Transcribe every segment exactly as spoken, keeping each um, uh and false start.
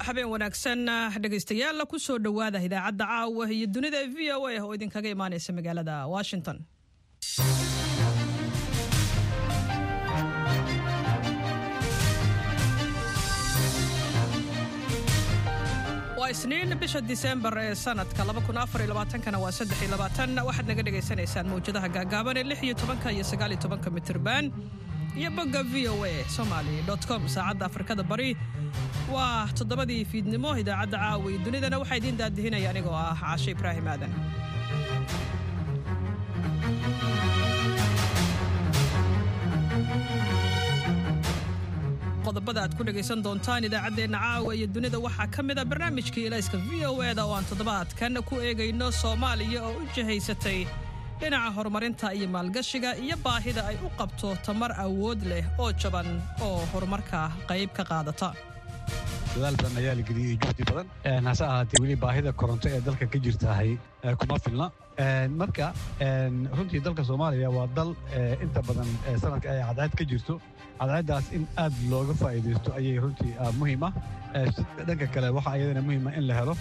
Habeen wanaagsan dhegaystayaal, ku soo dhowaada idaacadda caawa iyo dunida V O A oo idinkaga imaanaysa magaalada Washington. Waa Isniin, bisha Disembar ee sanadka kana waa saddex iyo labaatan. Waxaad naga dhegaysanaysaan mawjadaha gaagaaban ee lix iyo tobanka iyo sagaal iyo tobanka mitirban iyo bogga V O A Somali com. Saacadda Afrikada Bari waa toddobadii fiidnimo. Idaacadda caawa iyo dunidana waxaa idiin daadihinaya anigoo ah Caashe Ibraahim Aadan. Qodobada aad ku dhegaysan doontaan idaacaddeenna caawa iyo dunida waxaa ka mid a barnaamijkii Ilayska V O E-da oo aan toddobaadkan ku eegayno Soomaaliya oo u jihaysatay dhinaca horumarinta iyo maalgashiga iyo baahida ay u qabto tamar awood leh oo jaban oo horumarka qayb ka qaadata. Dadaal badan ayaa la geliyey, juhdi badan, hase ahaatee weli baahida koronto ee dalka ka jirtahay kuma filna. Marka runtii dalka Soomaaliya waa dal inta badan sanadka ay cadceed ka jirto. Cadceeddaas in aad looga faa'iidaysto ayay runtii muhiim ah. Dhanka kale waxaa iyadana muhiim ah in la helo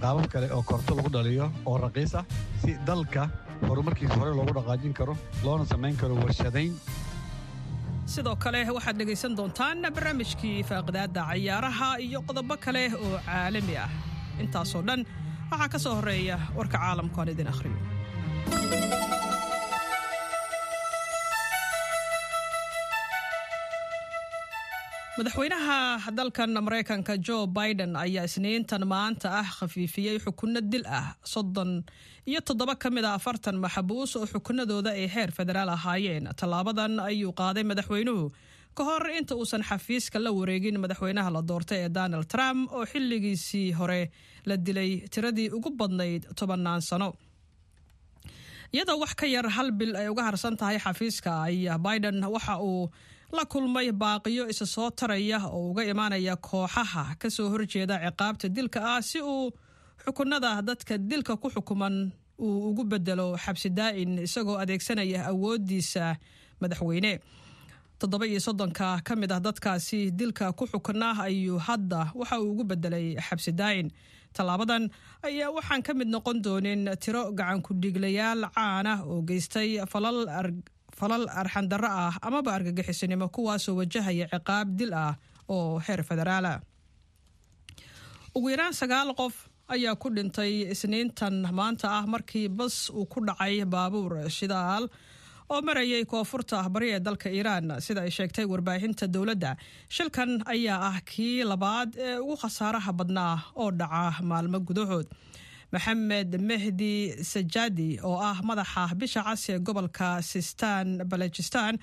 qaabab kale oo koronto lagu dhaliyo oo raqiis ah, si dalka horumarkiisa hore loogu dhaqaajin karo loona samayn karo warshadayn. Sidoo kale waxaad dhegaysan doontaan barnaamijkii faaqidaadda cayaaraha iyo qodobo kale oo caalami ah. Intaasoo dhan waxaa ka soo horreeya warka caalamka aan idin akhriyo. Madaxweynaha dalkan Maraykanka Joe Biden ayaa Isniintan maanta ah khafiifiyey xukunno dil ah soddon iyo toddoba ka mid a afartan maxbuus oo xukunadooda ay heer federaal ahaayeen. Tallaabadan ayuu qaaday madaxweynuhu ka hor inta uusan xafiiska la wareegin madaxweynaha la doortay ee Donald Trump, oo xilligiisii hore la dilay tiradii ugu badnayd tobannaan sano. Iyadoo wax ka yar hal bil ay uga harsan tahay xafiiska, ayaa Biden waxa uu la kulmay baaqiyo isa soo taraya oo uga imaanaya kooxaha ka soo horjeeda ciqaabta dilka ah, si uu xukunada dadka dilka ku xukuman uu ugu bedelo xabsi daa'in, isagoo adeegsanaya awoodiisa madaxweyne. Toddoba iyo soddonka ka mid ah dadkaasi dilka ku xukunaa ayuu hadda waxa uu ugu bedelay xabsi daa'in. Tallaabadan ayaa waxaan ka mid noqon doonin tiro gacan ku-dhiiglayaal caan ah oo geystay falal falal arxandarro ah amaba argagixisinimo, kuwaasoo wajahaya ciqaab dil ah oo heer federaala. Ugu yaraan sagaal qof ayaa ku dhintay Isniintan maanta ah markii bas uu ku dhacay baabuur shidaal oo marayay koonfurta bari ee dalka Iiraan, sida ay sheegtay warbaahinta dowladda. Shilkan ayaa ah kii labaad ee ugu khasaaraha badnaa oo dhaca maalmo gudahood. Maxamed Mehdi Sajadi oo ah madaxa Bisha Cas ee gobolka Sistan Balajistan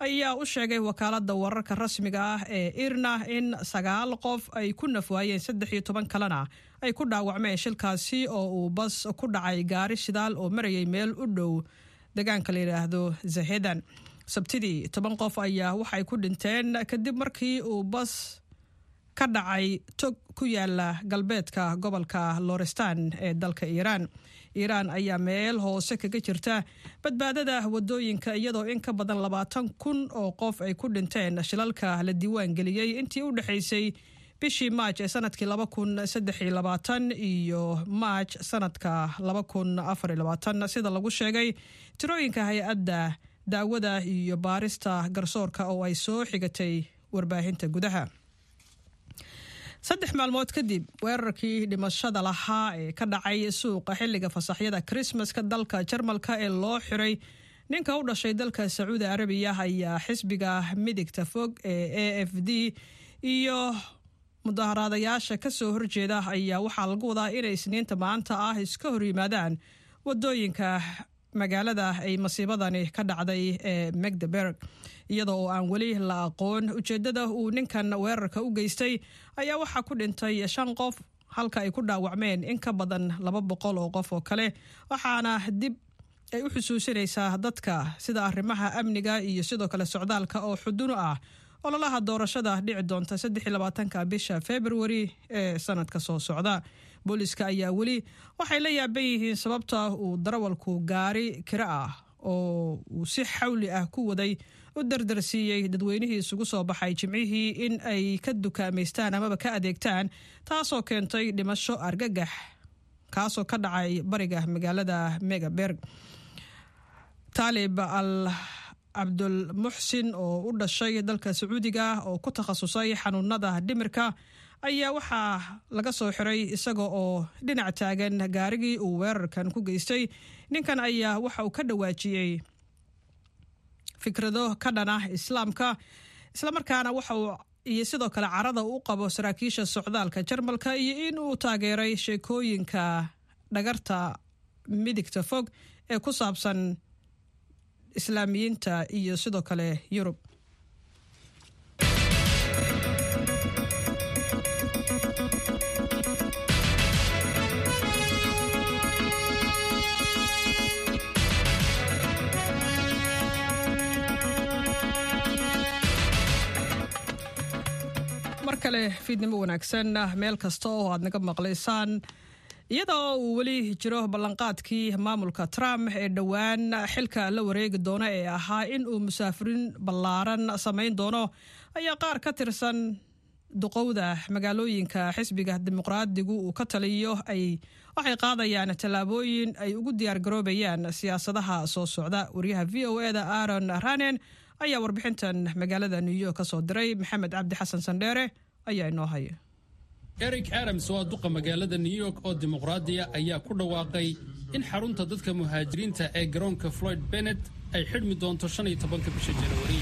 ayaa u sheegay wakaaladda wararka rasmiga ah ee IRNA in sagaal qof ay ku nafwaayeen, saddex iyo toban kalena ay ku dhaawacmeen shilkaasi oo uu bas ku dhacay gaari shidaal oo marayay meel u dhow deegaanka la yidhaahdo Zahedan. Sabtidii toban qof ayaa waxay ku dhinteen kadib markii uu bas ka dhacay tog ku yaala galbeedka gobolka Lorestan ee dalka Iiraan. Iiraan ayaa meel hoose kaga jirta badbaadada wadooyinka, iyadoo in ka badan labaatan kun oo qof ay ku dhinteen shilalka la diiwaan geliyey intii u dhexaysay bishii Maaj ee sanadkii laba kun saddex iyo labaatan iyo Maaj sanadka laba kun afar iyo labaatan, sida lagu sheegay tirooyinka hay-adda daawada iyo baarista garsoorka oo ay soo xigatay warbaahinta gudaha. Saddex maalmood kadib weerarkii dhimashada lahaa ee ka dhacay suuqa xilliga fasaxyada Krismaska dalka Jarmalka ee loo xiray ninka u dhashay dalka Sacuudi Arabiya, ayaa xisbiga midigta fog ee A F D iyo mudaharaadayaasha ka soo horjeeda ayaa waxaa lagu wadaa inay Isniinta maanta ah iska hor yimaadaan wadooyinka magaalada ay masiibadani ka dhacday ee Magdeburg. Iyadoo oo aan weli la aqoon ujeedada uu ninkan weerarka u geystay, ayaa waxaa ku dhintay shan qof halka ay ku dhaawacmeen in ka badan laba boqol oo qof oo kale, waxaana dib ay u xusuusinaysaa dadka sida arrimaha amniga iyo sidoo kale socdaalka oo xudun u ah ololaha doorashada dhici doonta saddex iyo labaatanka bisha Februari ee sanadka soo socda. Booliska ayaa weli waxay la yaaban yihiin sababta uu darawalku gaari kiro ah oo uu si xawli ah ku waday u dardarsiiyey dadweynihii isugu soo baxay Jimcihii in ay ka dukaamaystaan amaba ka adeegtaan, taasoo keentay dhimasho argagax kaasoo ka dhacay bariga magaalada Megaberg. Taalib al Cabdul Muxsin oo u dhashay dalka Sacuudiga oo ku takhasusay xanuunada dhimirka ayaa waxaa laga soo xiray isaga oo dhinac taagan gaarigii uu weerarkan ku geystay. Ninkan ayaa waxa uu ka dhawaajiyey fikrado ka dhan ah Islaamka, islamarkaana waxa uu iyo sidoo kale carada u qabo saraakiisha socdaalka Jarmalka iyo in uu taageeray sheekooyinka dhagarta midigta fog ee ku saabsan Islaamiyiinta iyo sidoo kale Yurub. Mar kale fiidnimo wanaagsan meel kasta oo aad naga maqlaysaan. Iyadoo uu weli jiro ballanqaadkii maamulka Trump ee dhowaan xilka la wareegi doono ee ahaa in uu musaafiriin ballaaran samayn doono, ayaa qaar ka tirsan duqowda magaalooyinka xisbiga Dimuqraadigu uu ka taliyo ay waxay qaadayaan tallaabooyin ay ugu diyaargaroobayaan siyaasadaha soo socda. Wariyaha V O E da Aaron Ranen ayaa warbixintan magaalada New York ka soo diray. Maxamed Cabdi Xasan Sandheere ayaa inoo haya. Eric Adams oo duqa magaalada New York oo dimuqraadiya ayaa ku dhawaaqay in xarunta dadka muhaajiriinta ee garoonka Floyd Bennett ay xidhmi doonto shan iyo tobanka bisha Januari.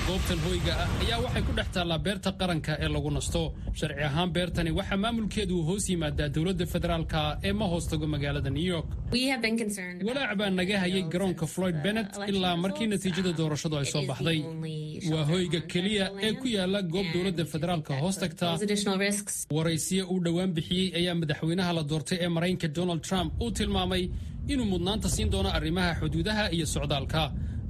Goobtan hoyga ah ayaa waxay ku dhex taallaa beerta qaranka ee lagu nasto. Sharci ahaan beertani waxaa maamulkeedu hoos yimaadaa dowladda federaalka ee ma hoos tago magaalada New York. Walaac baa naga hayay garoonka Floyd Bennett ilaa markii natiijada doorashadu ay soo baxday. Waa hoyga keliya ee ku yaala goob dowladda federaalka hoos tagta. Waraysiye uu dhowaan bixiyey ayaa madaxweynaha la doortay ee Maraykanka Donald Trump uu tilmaamay inuu mudnaanta siin doono arrimaha xuduudaha iyo socdaalka.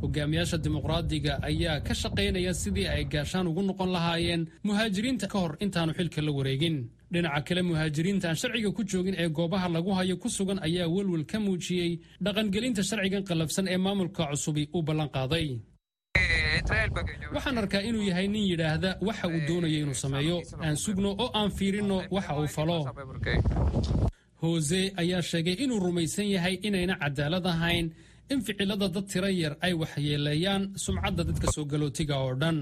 Hogaamiyaasha dimuqraadiga ayaa ka shaqaynaya sidii ay gaashaan ugu noqon lahaayeen muhaajiriinta ka hor intaanu xilka la wareegin. Dhinaca kale, muhaajiriinta aan sharciga ku joogin ee goobaha lagu hayo ku sugan ayaa welwel ka muujiyey dhaqangelinta sharcigan qallafsan ee maamulka cusubi uu ballan qaaday. Waxaan arkaa inuu yahay nin yidhaahda waxa uu doonayo inuu sameeyo, aan sugno oo aan fiirinno waxa uu falo. Hose ayaa sheegay inuu rumaysan yahay inayna cadaalad ahayn in ficilada dad tiro yar ay waxyeeleeyaan sumcadda dadka soo galootiga oo dhan.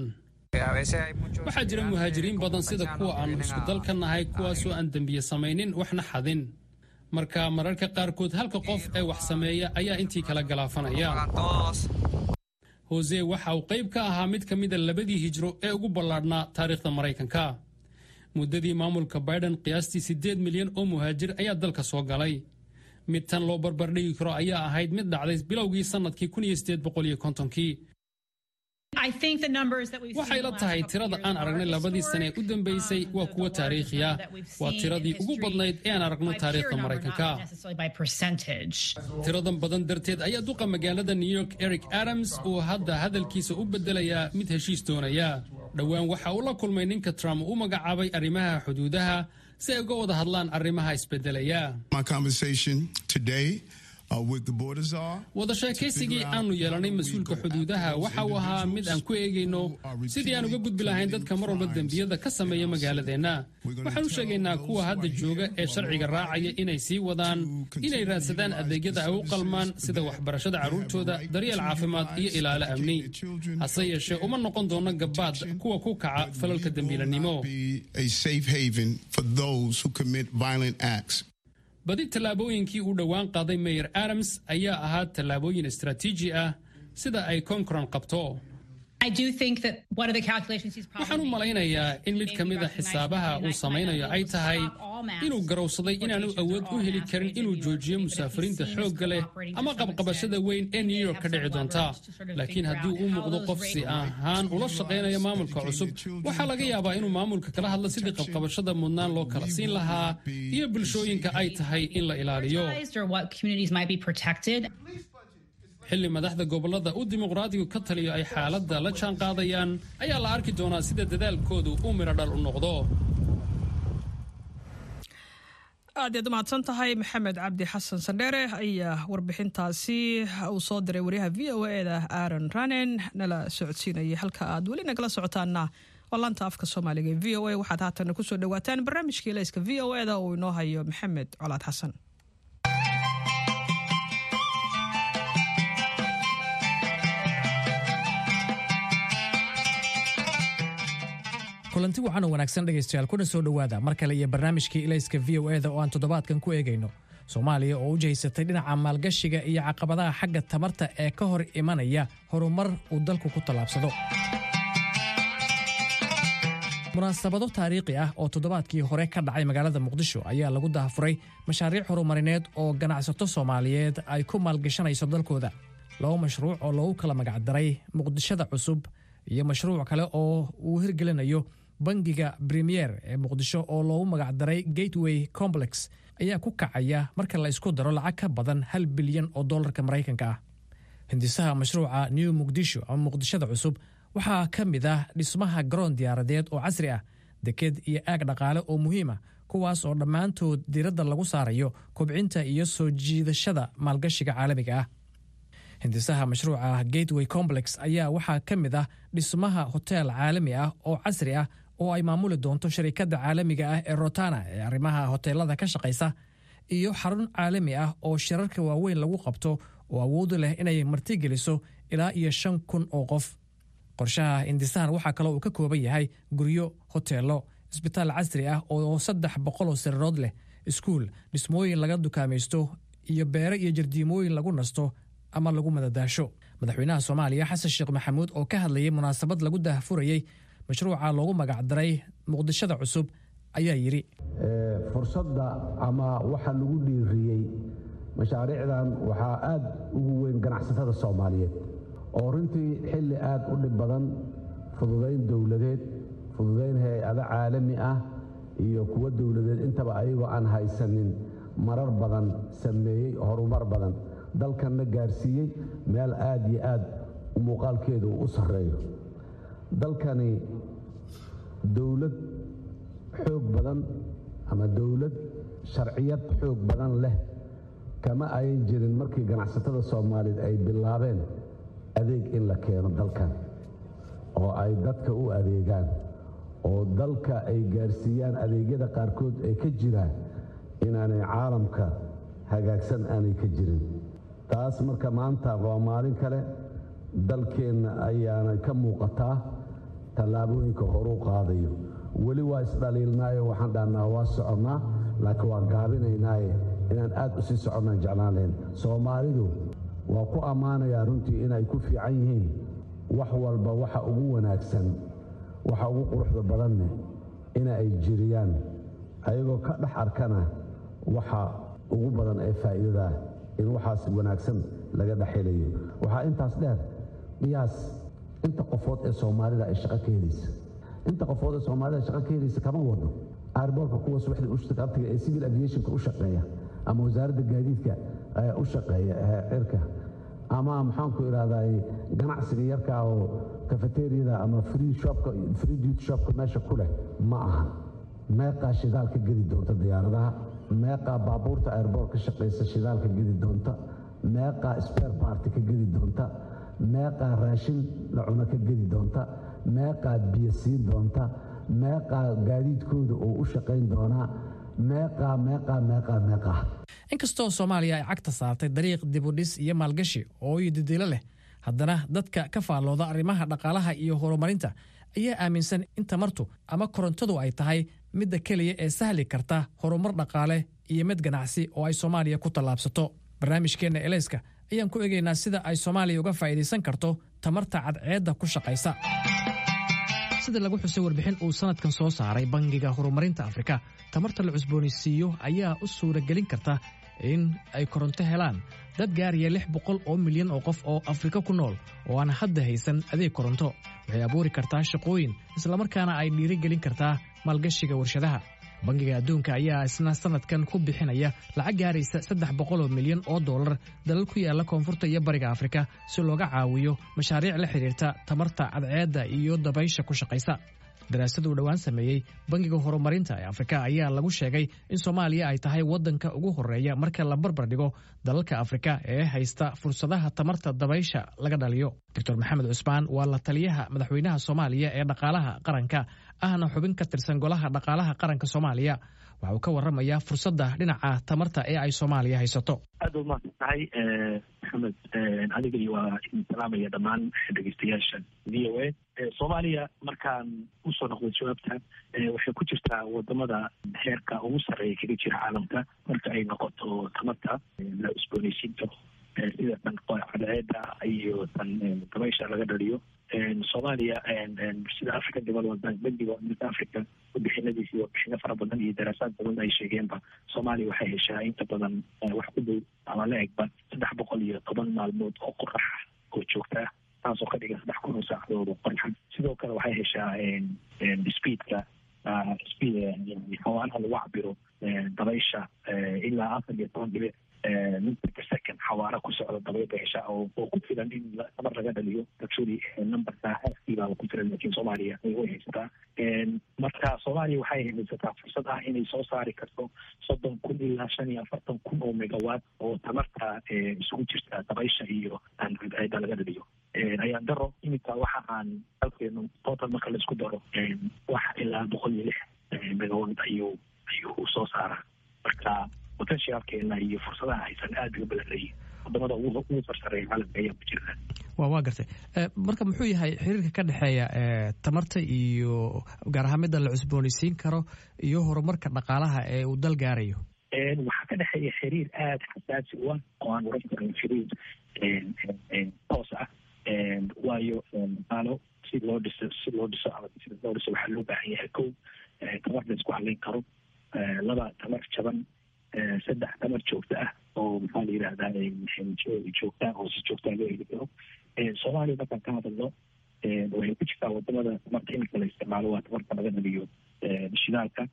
Waxaa jira muhaajiriin badan sida kuwa aanu isku dalka nahay, kuwaasoo aan dembiye samaynin waxna xadin. Marka mararka qaarkood halka qof ee wax sameeya ayaa intii kala galaafanaya. Hose waxa uu qayb ka ahaa mid ka mida labadii hijro ee ugu ballaadhnaa taariikhda Maraykanka. Muddadii maamulka Biden qiyaastii siddeed milyan oo muhaajir ayaa dalka soo galay. Mid tan loo barbardhigi karo ayaa ahayd mid dhacday bilowgii sannadkii kun iyo siddeed boqol iyo kontonkii. Waxay la tahay tirada aan aragnay labadii sane ee u dambeysay waa kuwo taariikhi ah. Waa tiradii ugu badnayd ee aan aragno taariikhda Maraykanka. Tiradan badan darteed ayaa duqa magaalada New York Eric Adams uu hadda hadalkiisa u bedelayaa mid heshiis doonaya. Dhowaan waxa uu la kulmay ninka Trump u magacaabay arrimaha xuduudaha si ay uga wada hadlaan arrimaha isbedelaya. Wada sheekaysigii aanu yeelanay mas-uulka xuduudaha waxa uu ahaa mid aan ku eegayno sidii aan uga gudbi lahayn dadka mar walba dembiyada ka sameeya magaaladeenna. Waxaan u sheegaynaa kuwa hadda jooga ee sharciga raacaya inay sii wadaan inay raadsadaan adeegyada ay u qalmaan sida waxbarashada carruurtooda, daryeel caafimaad iyo ilaalo amni. Hase yeeshee uma noqon doono gabaad kuwa ku kaca falalka dembiilanimo. Badi tallaabooyinkii uu dhowaan qaaday Mayor Adams ayaa ahaa tallaabooyin istaraatiiji ah sida ay Concron qabto. Waxaan u malaynayaa in mid ka mida xisaabaha uu samaynayo ay tahay inuu garowsaday inaanu awood u heli karin inuu joojiyo musaafiriinta xoogga leh ama qabqabashada weyn ee New York ka dhici doonta. Laakiin haddii uu muuqdo qof si ahaan ula shaqaynaya maamulka cusub, waxaa laga yaabaa inuu maamulka kala hadlo sidii qabqabashada mudnaan loo kala siin lahaa iyo bulshooyinka ay tahay in la ilaaliyo. Xilli madaxda gobollada uu dimuqraadigu ka taliyo ay xaaladda la jaan qaadayaan ayaa la arki doonaa sida dadaalkoodu uu midho dhal u noqdo. Aad iyaad umahadsan tahay, Maxamed Cabdi Xasan Sandheere ayaa warbixintaasi uu soo diray wariyaha V O E da Aaron Ranen nala socodsiinayay. Halka aad weli nagala socotaana waa laanta afka Soomaaliga ee V O A. Waxaad haatan kusoo dhawaataan barnaamijkii Layska V O E da uu inoo hayo Maxamed Colaad Xasan. Kulanti wacan oo wanaagsan, dhegaystayaal, kuna soo dhowaada mar kale iyo barnaamijkii Ilayska V O E da oo aan toddobaadkan ku eegayno Soomaaliya oo u jihaysatay dhinaca maalgashiga iyo caqabadaha xagga tamarta ee ka hor imanaya horumar uu dalku ku tallaabsado. Munaasabado taariikhi ah oo toddobaadkii hore ka dhacay magaalada Muqdisho ayaa lagu daahfuray mashaariic horumarineed oo ganacsato Soomaaliyeed ay ku maalgashanayso dalkooda. Laba mashruuc oo loogu kala magacdaray Muqdishada Cusub iyo mashruuc kale oo uu hirgelinayo bangiga Premier ee Muqdisho oo loogu magacdaray Gateway Complex ayaa ku kacaya marka la isku daro lacag ka badan hal bilyan oo dollarka Maraykanka ah. Hindisaha mashruuca New Muqdisho ama Muqdishada Cusub waxaa ka mid ah dhismaha garoon diyaaradeed oo casri ah, deked iyo aag dhaqaale oo muhiim ah, kuwaas oo dhammaantood diiradda lagu saarayo kobcinta iyo soo jiidashada maalgashiga caalamiga ah. Hindisaha mashruuca Gateway Complex ayaa waxaa ka mid ah dhismaha hoteel caalami ah oo casri ah oo ay maamuli doonto sharikadda caalamiga ah ee Rotana ee arrimaha hoteelada ka shaqaysa, iyo xarun caalami ah oo shirarka waaweyn lagu qabto oo awood u leh inay martigeliso ilaa iyo shan kun oo qof. Qorshaha hindisahan waxaa kaloo uu ka kooban yahay guryo, hoteelo, isbitaal casri ah oo saddex boqol oo sariirood leh, iskuul, dhismooyin laga dukaamaysto iyo beero iyo jardiimooyin lagu nasto ama lagu madadaasho. Madaxweynaha Soomaaliya Xasan Sheekh Maxamuud oo ka hadlayay munaasabad lagu daahfurayey mashruuca loogu magacdaray Muqdishada Cusub ayaa yidhi: Fursadda ama waxa lagu dhiiriyey mashaariicdan waxaa aad ugu weyn ganacsatada Soomaaliyeed oo runtii xilli aad u dhib badan fududayn dowladeed, fududayn hay-ado caalami ah iyo kuwo dowladeed intaba ayagoo aan haysanin marar badan sameeyey horumar badan, dalkanna gaarsiiyey meel aad iyo aad muuqaalkeedu u sarreeyo. Dalkani dowlad xoog badan ama dowlad sharciyad xoog badan leh kama ayan jirin markii ganacsatada Soomaaliyeed ay bilaabeen adeeg in la keeno dalkan oo ay dadka u adeegaan oo dalka ay gaarsiiyaan adeegyada qaarkood ay ka jiraan inaanay caalamka hagaagsan aanay ka jirin. Taas marka maanta waa maalin kale, dalkeenna ayaana ka muuqataa tallaabooyinka horuu qaadayo. Weli waa isdhaliilnaayo, waxaan dhahnaa waa soconnaa, laakiin waan gaabinaynaaye inaan aad u sii soconnaan jeclaan lahayn. Soomaalidu waa ku ammaanayaa runtii inay ku fiican yihiin wax walba, waxa ugu wanaagsan, waxa ugu quruxda badanne ina ay jiriyaan, ayagoo ka dhex arkana waxa ugu badan ee faa'iidadaa in waxaas wanaagsan laga dhex helayo. Waxaa intaas dheer, qiyaas inta qofood ee Soomaalida ay shaqo ka helaysa. Inta qofood ee Soomaalida shaqo ka helaysa kama wado airportka kuwa subaxdii ushaqabtiga ee civil aviationka u shaqeeya ama wasaaradda gaadiidka u shaqeeya cirka ama maxaanku idhahdaa ganacsiga yarka oo cafeteriada ama free shopka, free duty shopka meesha ku leh ma aha. Meeqaa shidaal ka gedi doonta diyaaradaha? Meeqaa baabuurta airport ka shaqaysa shidaal ka gedi doonta? Meeqaa spare part ka gedi doonta? Meeqaa raashin la cuno ka gedi doonta? Meeqaa biyo siin doonta? Meeqaa gaadiidkooda oo u shaqayn doonaa? Meeqaa, meeqaa, meeqaa, meeqaa? Inkastoo Soomaaliya ay cagta saartay dariiq dibudhis iyo maalgashi oo didilo leh, haddana dadka ka faallooda arrimaha dhaqaalaha iyo horumarinta ayaa aaminsan in tamartu ama korontadu ay tahay midda keliya ee sahli karta horumar dhaqaale iyo mid ganacsi oo ay Soomaaliya ku tallaabsato. Barnaamijkeenna Elayska ayaan ku eegaynaa sida ay Soomaaliya uga faa'iidaysan karto tamarta cadceedda ku shaqaysa. Sida lagu xusay warbixin uu sanadkan soo saaray Bangiga Horumarinta Afrika, tamarta la cusboonaysiiyo ayaa u suuragelin karta in ay koronto helaan dad gaaraya lix boqol oo milyan oo qof oo Afrika ku nool oo aan hadda haysan adeeg koronto. Waxay abuuri kartaa shaqooyin, islamarkaana ay dhiirigelin kartaa maalgashiga warshadaha. Bangiga Adduunka ayaa isna sanadkan ku bixinaya lacag gaaraysa saddex boqol oo milyan oo dollar dalal ku yaala koonfurta iyo bariga Afrika si looga caawiyo mashaariic la xidhiirta tamarta cadceedda iyo dabaysha ku shaqaysa. Daraasad uu dhowaan sameeyey Bangiga Horumarinta ee Afrika ayaa lagu sheegay in Soomaaliya ay tahay waddanka ugu horeeya marka la barbar dhigo dalalka Afrika ee haysta fursadaha tamarta dabaysha laga dhaliyo. Doctor Maxamed Cusmaan waa la taliyaha madaxweynaha Soomaaliya ee dhaqaalaha qaranka, ahna xubin ka tirsan Golaha Dhaqaalaha Qaranka Soomaaliya. Waxa uu ka warramayaa fursadda dhinaca tamarta ee ay Soomaaliya haysato. Aad u mahadsan tahay, Maxamed. Adiga iyo waa idin salaamaya dhammaan dhegeystayaasha V O A. Soomaaliya, markaan usoo noqday jawaabta, waxay ku jirtaa wadamada heerka ugu sarreeya kaga jira caalamka marka ay noqoto tamarta la cusbooneysiin karo, sida tan cadceeda iyo tan dabaysha laga dhaliyo. Soomaaliya, sida African Development Bank, bangiga Midka Africa, warbixinadiisi, warbixino fara badan iyo daraasaad badan ay sheegeenba, Soomaaliya waxay heshaa inta badan wax ku dhow ama la egba saddex boqol iyo toban maalmood oo qorax oo joogta ah, taasoo ka dhigan saddex kun oo saacadood oo qoraxa. Sidoo kale waxay heshaa speedka, speed xawaaraha lagu cabiro dabaysha, ilaa afar iyo toban dhibic meter per second xawaara ku socda dabayl bay heshaa oo oo ku filan in tamar laga dhaliyo. Actually, numberka halkii baaba ku filan, laakiin Soomaaliya way haysataa. Marka Soomaaliya waxay haysataa fursad ah inay soo saari karto soddon kun ilaa shan iyo afartan kun oo megawatt oo tamarta isugu jirta dabaysha iyo cadceeda laga dhaliyo. Ayaan daro, iminka waxa aan dalkeenu total marka laisku daro wax ilaa boqol iyo lix megawatt ayuu ayuu soo saaraa. Marka potentialkeena iyo fursadaha haysan aad bay u badan. Wadamada ugu ugu sarsareeya caalamka ayaa ku jirta. wa waa gartay. Marka muxuu yahay xiriirka ka dhexeeya tamarta iyo gaar ahaan midda la cusboonaysiin karo iyo horumarka dhaqaalaha ee uu dal gaarayo? Waxaa ka dhexeeya xiriir aada xasaasi u ah oo aan oran karin xiriir toos ah, waayo dhaqaalo si loo dhiso si loo dhiso ama si loo dhiso waxaa loo baahan yahay: kow, tamar la isku halayn karo; laba, tamar jaban; saddex, tamar joogto ah oo, maxaa la yidhahdaa, joogta oo si joogtaa loo heli karo. Soomaaliya markaan ka hadalno, waxay ku jirtaa wadamada tamarta iminka la isticmaalo waa tamarta laga dhaliyo shidaalka,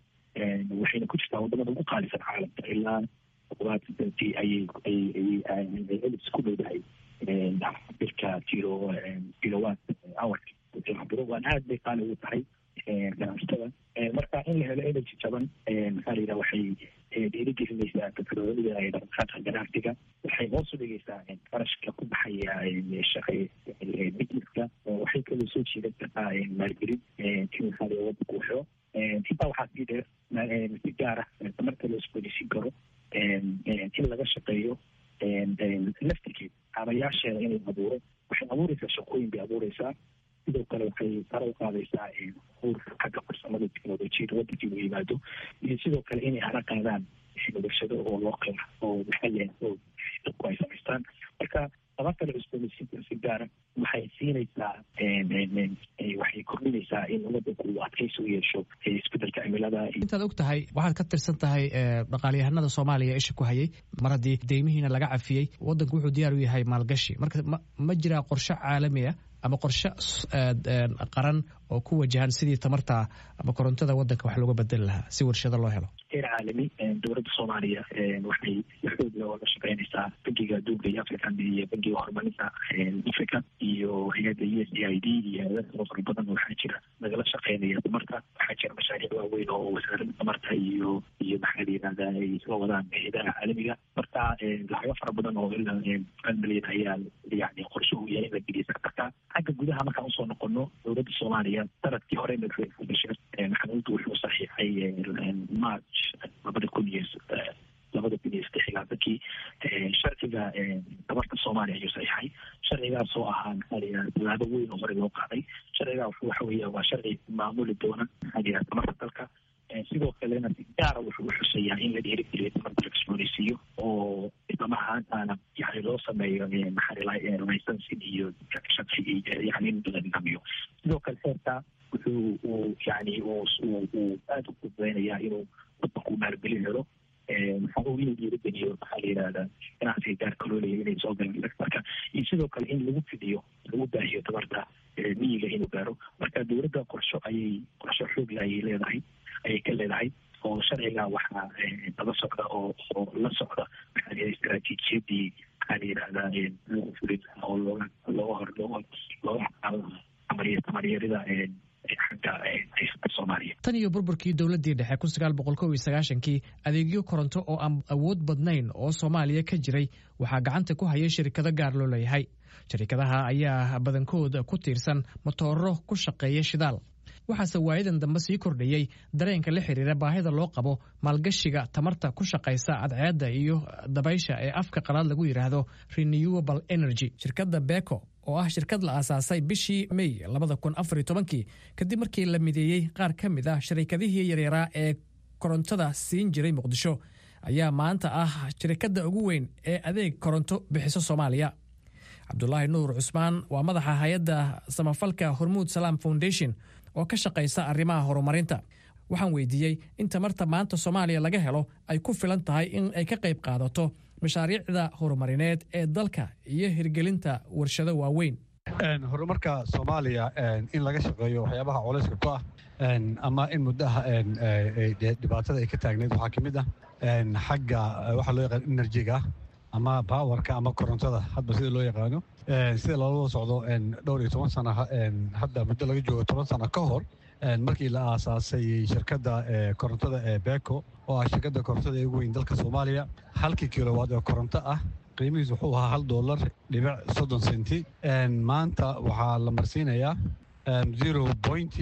waxayna ku jirtaa wadamada ugu qaalisan caalamka. Ilaa toddobaatan senti ayay ayay ayay elis ku dhowdahay cabirka kilo kilowatt hourka cabiro. Waan aad bay qaali ugu tahay ganacsatada. Marka in la helo energy jaban, maxaa la yidhaha, waxay dhiirigelinaysaa firfircoonida ee dhaqdhaqaaqa ganacsiga, waxay hoos u dhigaysaa qarashka ku baxaya shaqa businesska, waxay kaloo soo jiidan kartaa maalgelin in, maxaa la, wadanku helo. Intaa waxaa sii dheer, si gaar ah tamarta loo isbooneysiin karo in laga shaqeeyo laftirkeed, kaabayaasheeda in la abuuro, waxay abuureysaa shaqooyin bay abuureysaa. Sidoo kale waxay sare u qaadaysaa abuur xagga farsamada, teknolojiyada wadankii uu yimaado, iyo sidoo kale inay hana qaadaan warshado oo loo qeex oo maxalli ah oo dadku ay samaystaan. Marka tamarta la cusboonaysiinta si gaara waxay siinaysaa, waxay kordhinaysaa in wadanku uu adkaysi u yeesho isbedelka cimilada. Intaad og tahay, waxaad ka tirsan tahay dhaqaalyahanada Soomaaliya isha ku hayay. Mar haddii deymihiina laga cafiyey, wadanku wuxuu diyaar u yahay maalgashi. Marka ma ma jiraa qorshe caalami ah ama qorshe qaran oo ku wajahan sidii tamarta ama korontada wadanka wax looga bedeli lahaa si warshado loo helo? Heer caalami, dowladda Soomaaliya waxay xoog leh oo la shaqeynaysaa Bangiga Adduunka iyo African iyo Bangiga Horumarinta Africa iyo hay-adda U S A I D iyo hay-ada kaloo fara badan. Waxaa jira nagala shaqeynaya tamarta. Waxaa jira mashaariic waaweyn oo wasaaradda tamarta iyo iyo maxaa la yihahdaa, ay isla wadaan hay-adaha caalamiga. Marka lacago fara badan oo ilaa hal milyan ayaa yani qorshe uu yahay in la geliya sectorka. Xagga gudaha markaan usoo noqono, dowladda Soomaaliya sanadkii hore madaxweyne Xasan Sheekh Maxamuud wuxuu saxiixay March labada kun iyo labada kun iyo saddex iyo labaatankii sharciga tamarta Soomaaliya ayuu saxiixay. Sharcigaas oo ahaa, maxaa la yidhahda, tallaabo weyn oo hore loo qaaday. Sharcigaa waxa weeya waa sharci maamuli doona, maxaa la yidhahda, tamarta dalka. Sidoo kalena si gaara wuxuu u xuseeyaa in la dhiirigeliyo tamarta la cusboonaysiiyo oo islamar ahaantaana yani loo sameeyo, maxaa, licensing iyo sharci, yani in la nidaamiyo. Sidoo kale xeerka wuxuu uu yani uu uu aada u fududeynayaa inuu wadanku maalgelin helo, maxaa uu inuu dhiirigeliyo, maxaa la yidhahdaa, ganacsiga gaarka loo leeyahay inay soo galaan sectorka, iyo sidoo kale in lagu fidiyo, lagu baahiyo tamarta miyiga inuu gaaro. Marka dowladda qorsho ayay qorsho xoogle ayay leedahay, ayay ka leedahay, oo sharciga waxaa daba socda oo oo la socda, maxaa la yidhahda, istaraatiijiyadii, maxaa la yidhahdaa, lagu fulin lahaa oo looga looga hor looga looga xaqaadan lahaa tamaryarida xagga dadka haysata Soomaaliya. Tan iyo burburkii dowladdii dhexe kun sagaal boqol kow iyo sagaashankii, adeegyo koronto oo aan awood badnayn oo Soomaaliya ka jiray waxaa gacanta ku hayay shirkado gaar loo leeyahay. Shirkadaha ayaa badankood ku tiirsan matooro ku shaqeeya shidaal. Waxaase waayadan dambe sii kordhayey dareenka la xiriira baahida loo qabo maalgashiga tamarta ku shaqaysa cadceedda iyo dabaysha ee afka qalaad lagu yidhaahdo renewable energy. Shirkadda Beko, oo ah shirkad la aasaasay bishii May labada kun afar iyo tobankii kadib markii la mideeyey qaar ka mid ah sharikadihii yaryaraa ee korontada siin jiray Muqdisho, ayaa maanta ah shirkadda ugu weyn ee adeeg koronto bixiso Soomaaliya. Cabdulaahi Nuur Cusmaan waa madaxa hay-adda samafalka Hormuud Salaam Foundation oo ka shaqaysa arrimaha horumarinta. Waxaan weydiiyey in tamarta maanta Soomaaliya laga helo ay ku filan tahay in ay ka qayb qaadato mashaariicda horumarineed ee dalka iyo hirgelinta warshado waaweyn. Horumarka Soomaaliya in laga shaqeeyo, waxyaabaha culayska ku ah ama in muddaha dhibaatada ay ka taagneyd waxaa ka mid ah xagga waxaa loo yaqaan energy-ga ama power-ka ama korontada, hadba sida loo yaqaano. Sida loola socdo, dhowr iyo toban sana hadda muddo laga joogo, toban sano ka hor markii la aasaasay shirkadda korontada ee Beko, oo ah shirkadda korontada ee ugu weyn dalka Soomaaliya, halkii kilowatt oo koronto ah qiimihiisu wuxuu ahaa hal dollar dhibic soddon senti. Maanta waxaa la marsiinayaa zero point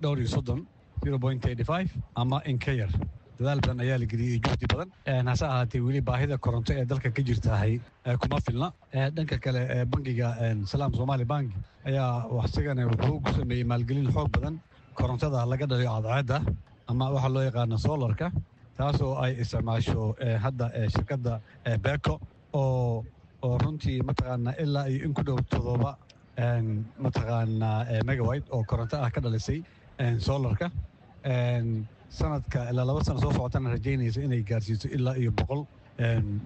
dhowr iyo soddon, zero point eighty five ama in ka yar. Dadaal badan ayaa la geliyey, juhdi badan. Hase ahaatee, weli baahida koronto ee dalka ka jirtahay kuma filna. Dhanka kale, bangiga Salaam Somali Bank ayaa isagana wuxuu ku sameeyey maalgelin xoog badan korontada laga dhaliyo cadceedda ama waxaa loo yaqaano solar-ka, taasoo ay isticmaasho hadda shirkadda Beko, oo oo runtii mataqaanaa ilaa iyo in ku dhow todoba mataqaanaa megawatt oo koronto ah ka dhalisay solar-ka. Sanadka ilaa laba sano soo socotana rajaynaysa inay gaarsiiso ilaa iyo boqol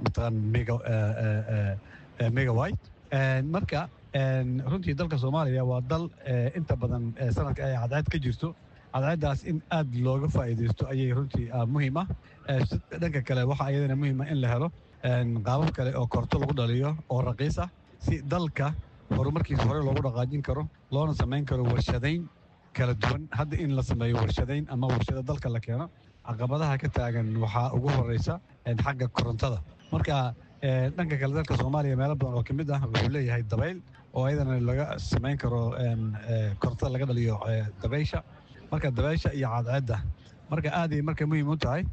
mataqaan mega megawatt. Marka runtii dalka Soomaaliya waa dal inta badan sanadka ay cadceed ka jirto. Cadceeddaas in aad looga faa'iidaysto ayay runtii muhiim ah. Dhanka kale, waxaa iyadana muhiim ah in la helo qaabab kale oo koronto lagu dhaliyo oo raqiis ah, si dalka horumarkiisa hore loogu dhaqaajin karo, loona samayn karo warshadayn kala duwan. Hadda in la sameeyo warshadayn ama warshado dalka la keeno, caqabadaha ka taagan waxaa ugu horeysa xagga korontada. Marka dhanka kale, dalka Soomaaliya meelo badan oo kamid ah wuxuu leeyahay dabayl, oo ayadana laga samayn karo korontada laga dhaliyo dabaysha. Marka dabaysha iyo cadceedda, marka aaday marka muhiim u tahay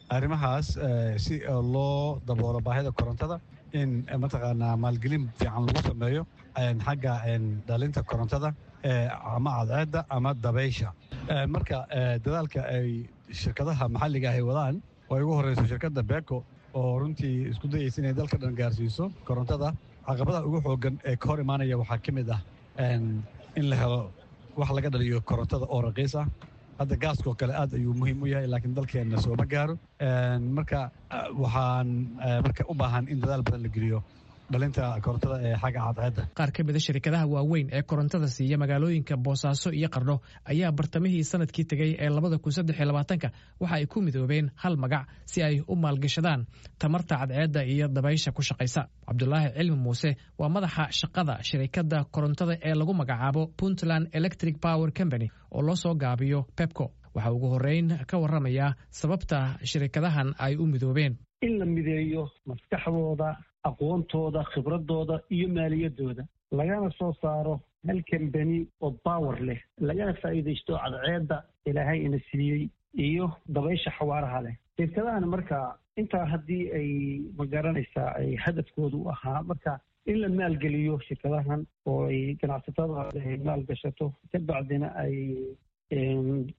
arrimahaas si loo daboolo baahida korontada, in mataqaanaa maalgelin fiican lagu sameeyo xagga dhalinta korontada ama cadceedda ama dabaysha. Marka dadaalka ay shirkadaha maxalliga ay wadaan, oo ay ugu horeyso shirkadda Beko, oo runtii isku dayeysa inay dalka dhan gaarsiiso korontada, caqabadaha ugu xoogan ee ka hor imaanaya waxaa ka mid ah in la helo wax laga dhaliyo korontada oo raqiis ah. Hadda gaaskoo kale aad ayuu muhiim u yahay, laakiin dalkeenna sooma gaaro. Marka waxaan marka u baahan in dadaal badan la geliyo dhalinta korontada ee xagga cadceedda. Qaar ka mida shirkadaha waaweyn ee korontada siiya magaalooyinka Boosaaso iyo Qardho ayaa bartamihii sanadkii tegey ee labada kun saddex iyo labaatanka waxa ay ku midoobeen hal magac si ay u maalgashadaan tamarta cadceedda iyo dabaysha ku shaqaysa. Cabdulaahi Cilmi Muuse waa madaxa shaqada shirikadda korontada ee lagu magacaabo Puntland Electric Power Company, oo loo soo gaabiyo PEPCO. Waxaa ugu horreyn ka warramayaa sababta shirikadahan ay u midoobeen. In la mideeyo maskaxdooda, aqoontooda, khibradooda iyo maaliyadooda, lagana soo saaro hal company oo power leh, lagana faa'iidaysto cadceedda Ilaahay ina siiyey iyo dabaysha xawaaraha leh. Shirkadahan marka intaa haddii ay magaranaysaa ay hadafkoodu u ahaa marka in la maalgeliyo shirkadahan oo ay ganacsatada ay maalgashato, ka bacdina ay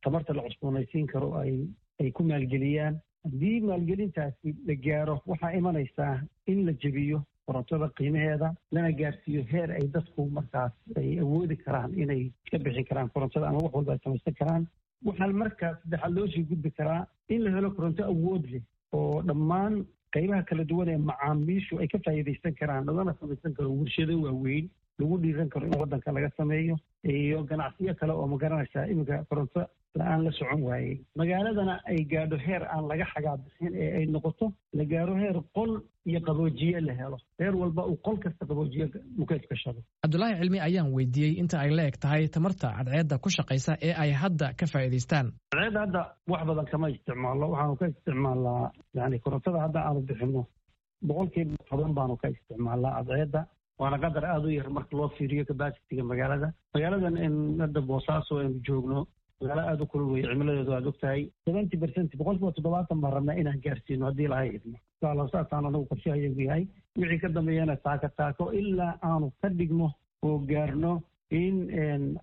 tamarta la cusboonaysiin karo ay ay ku maalgeliyaan. Haddii maalgelintaasi la gaaro, waxaa imanaysaa in la jebiyo korontada qiimaheeda, lana gaarsiiyo heer ay dadku markaas ay awoodi karaan inay iska bixin karaan korontada ama wax walba ay samaysan karaan. Waxaa markaa saddexaad loo sii gudbi karaa in la helo koronto awood leh oo dhammaan qaybaha kala duwan ee macaamiishu ay ka faa'iidaysan karaan, lagana samaysan karo warshado waaweyn lagu dhiiran karo in waddanka laga sameeyo iyo ganacsiyo kale oo magaranaysaa iminka koronto. la-aan la socon waayey, magaaladana ay gaadho heer aan laga xagaa bixin ee ay noqoto la gaaro heer qol iyo qaboojiye la helo, heer walba uu qol kasta qaboojiye mukeyf gashado. Cabdulaahi Cilmi ayaan weydiiyey inta ay la eg tahay tamarta cadceedda ku shaqaysa ee ay hadda ka faa'iidaystaan. Cadceedda hadda wax badan kama isticmaalno, waxaanu ka isticmaalnaa yani korontada hadda aanu bixino boqolkiiba toban baanu ka isticmaalnaa cadceedda, waana qadar aada u yar marka loo fiiriyo capacity-ga magaalada. Magaaladan in hadda Boosaaso aynu joogno magaalo aada u kulul weye, cimiladeedu aada og tahay. Seventy percent, boqolkiiba toddobaatan baan rabnaa inaan gaarsiino haddii lahay idmo, insha Allah. Saasaan anagu qorshahayagu yahay, wixii ka dambeeyana taako taako ilaa aanu ka dhigno oo gaarno in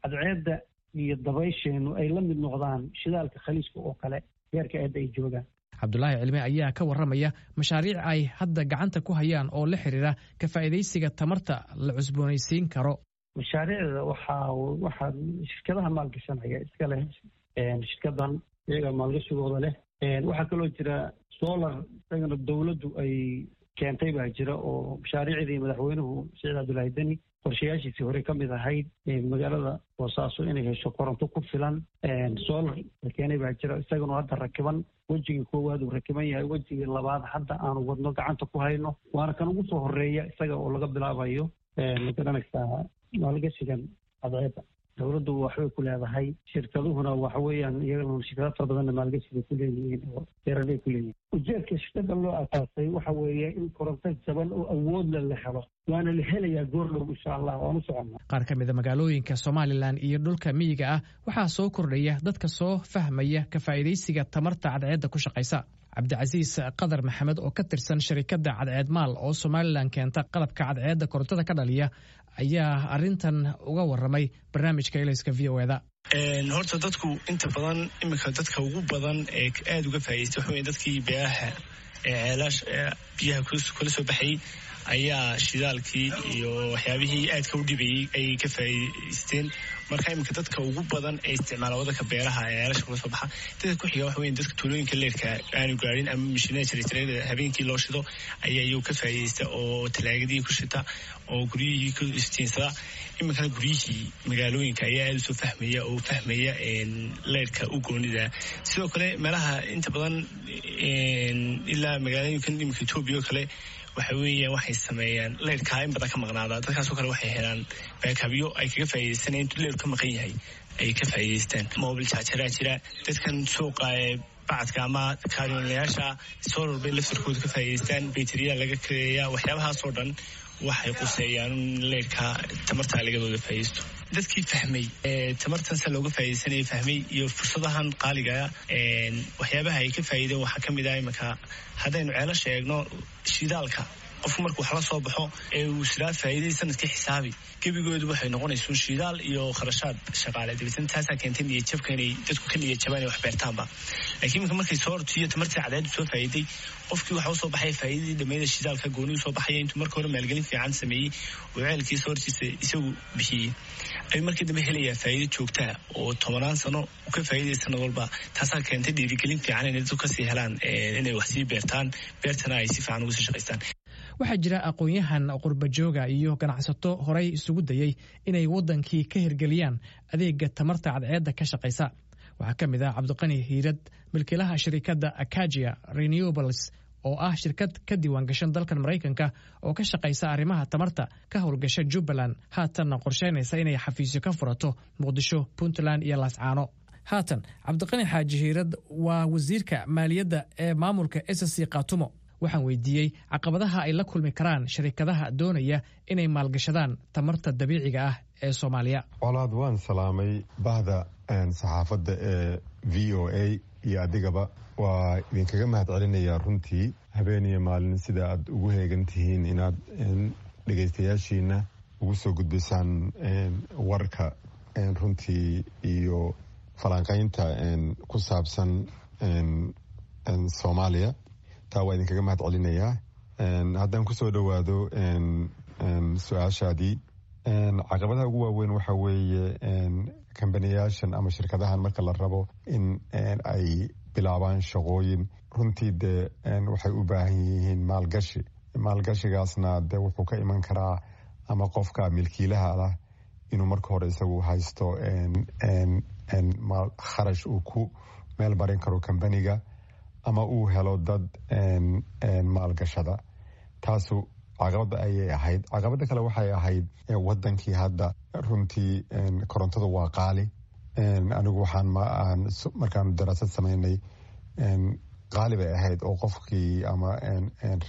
cadceedda iyo dabaysheenu ay la mid noqdaan shidaalka Khaliijka oo kale heerka eedda ay joogaan. Cabdulaahi Cilmi ayaa ka warramaya mashaariic ay hadda gacanta ku hayaan oo la xiriira ka faa'iidaysiga tamarta la cusboonaysiin karo. Mashaariicda waxaa waxaa shirkadaha maalgashanaya iska leh, shirkadan iyaga maalgashigooda leh. Waxaa kaloo jira solar isagana dowladdu ay keentay baa jira, oo mashaariicdii madaxweynuhu Siciid Cabdullaahi Deni qorshayaashiisii hore ka mid ahayd magaalada Boosaaso inay hesho koronto ku filan. Solar la keenay baa jira, isagana hadda rakiban, wejigii koowaad uu rakiban yahay, wejigii labaad hadda aanu wadno, gacanta ku hayno, waana kan ugu soo horeeya isaga oo laga bilaabayo. Ma garanaysaa, maalgashigan cadceedda dowladdu waxbay ku leedahay, shirkaduhuna waxa weeyaan iyagana shirkado fara badanna maalgashi bay ku leeyihiin oo beeraley ku leeyihiin. Ujeedka shirkada loo asaasay waxa weeye in koronto jaban oo awoodle la helo, waana la helayaa goor dhow, insha Allah, waan u soconnaa. Qaar ka mid a magaalooyinka Somalilan iyo dhulka miyiga ah waxaa soo kordhaya dadka soo fahmaya ka faa'iidaysiga tamarta cadceedda ku shaqaysa. Cabdicasiis Qadar Maxamed oo ka tirsan sharikadda Cadceed Maal oo Somalilan keenta qalabka cadceedda korontada ka dhaliya ayaa arrintan uga warramay barnaamijka Elayska V O E da. Horta dadku inta badan iminka dadka ugu badan ee aada uga faa'idaystay waxa wey dadkii beeraha ee ceelaash biyaha kula soo baxayay ayaa shidaalkii iyo waxyaabihii aadka u dhibayey ayay ka faa'idaysteen. Marka iminka dadka ugu badan ee isticmaala wadanka beeraha ee ceelasha kula soo baxa. Dadka ku xiga waxa weya dadka tuulooyinka leerka aanu gaarin ama mishiinada jarjarada habeenkii loo shido ayaa iyagu ka faa'iidaysta oo talaagadii ku shita oo guryihii ku istiinsada. Iminkana guryihii magaalooyinka ayaa aada usoo fahmaya oo fahmaya leerka u goonida. Sidoo kale meelaha inta badan ilaa magaalooyinkan iminka Etoobiya oo kale waxa weeya waxay sameeyaan leyrkaa in badan ka maqnaada, dadkaasoo kale waxay helaan backupyo ay kaga faa'iidaysanaya intuu leyrku ka maqan yahay ay ka faa'iidaystaan. Mobile chargeraa jira, dadkan suuqa ee bacadka ama kaaryoonlayaasha solar bay laftarkooda ka faa'iidaystaan, bayteriya laga kareeya. Waxyaabahaasoo dhan waxay quseeyaan in leyrka tamarta lagadooda faa'iidaysto. Dadkii fahmay tamartan se looga faa'iidaysanaya fahmay iyo fursadahan qaaligaa, waxyaabaha ay ka faa'iideen waxaa ka mid ah iminka haddaynu ceelasha eegno, shidaalka qofku markuu wax la soo baxo ee uu siraa faa'iidadii sanadkii xisaabi, gebigoodu waxay noqonaysuun shidaal iyo kharashaad shaqaale. Dabeetna taasaa keentay niyadjabka inay dadku ka niyadjabaan inay wax beertaanba. Laakiin iminka markay soo hortiyo tamartii cadceeddu soo faa'iiday, qofkii waxa usoo baxaya faa'iidadii dhammeeda shidaalka gooni usoo baxaya. Intuu marka hore maalgelin fiican sameeyey oo ceelkii soo hortiisa isagu bixiyey ayuu markii dambe helayaa faa'iido joogtaa oo tobanaan sano u ka faa'iidaya sanad walba. Taasaa keentay dhiirigelin fiican inay dadku kasii helaan inay wax sii beertaan, beertana ay si fiican uga sii shaqaystaan. Waxaa jira aqoon-yahan qurbajooga iyo ganacsato horay isugu dayey inay waddankii ka hirgeliyaan adeega tamarta cadceedda ka shaqaysa. Waxaa ka mid ah Cabdiqani Hiirad, milkiilaha shirikadda Akagia Renewables oo ah shirkad ka diiwaangashan dalkan Maraykanka oo ka shaqaysa arrimaha tamarta, ka howlgasha Jubbaland, haatanna qorsheynaysa inay xafiisyo ka furato Muqdisho, Puntland iyo Laascaano. Haatan Cabdiqani Xaaji Hiirad waa wasiirka maaliyadda ee maamulka S S C Khaatumo. Waxaan weydiiyey caqabadaha ay la kulmi karaan sharikadaha doonaya inay maalgashadaan tamarta dabiiciga ah ee Soomaaliya. Colaad, waan salaamay bahda saxaafadda ee V O A iyo adigaba. Waa idinkaga mahad celinayaa runtii habeen iyo maalin sida aad ugu heegan tihiin inaad dhegaystayaashiina ugu soo gudbisaan warka runtii iyo falanqaynta ku saabsan Soomaaliya. Taa waa idinkaga mahad celinayaa. Haddaan kusoo dhowaado su-aashaadii, caqabadaha ugu waaweyn waxa weeye kambaniyaashan ama shirkadahan marka la rabo in ay bilaabaan shaqooyin, runtii dee waxay u baahan yihiin maalgashi. Maalgashigaasna dee wuxuu ka iman karaa ama qofka milkiilaha lah inuu marka hore isagu haysto. Kharash uu ku meel marin karo kambaniga ama uu helo dad maalgashada. Taasu caqabada ayay ahayd. Caqabada kale waxay ahayd wadankii hadda runtii korontadu waa qaali. Anigu waxaan markaanu daraasad sameynay, qaali bay ahayd oo qofkii ama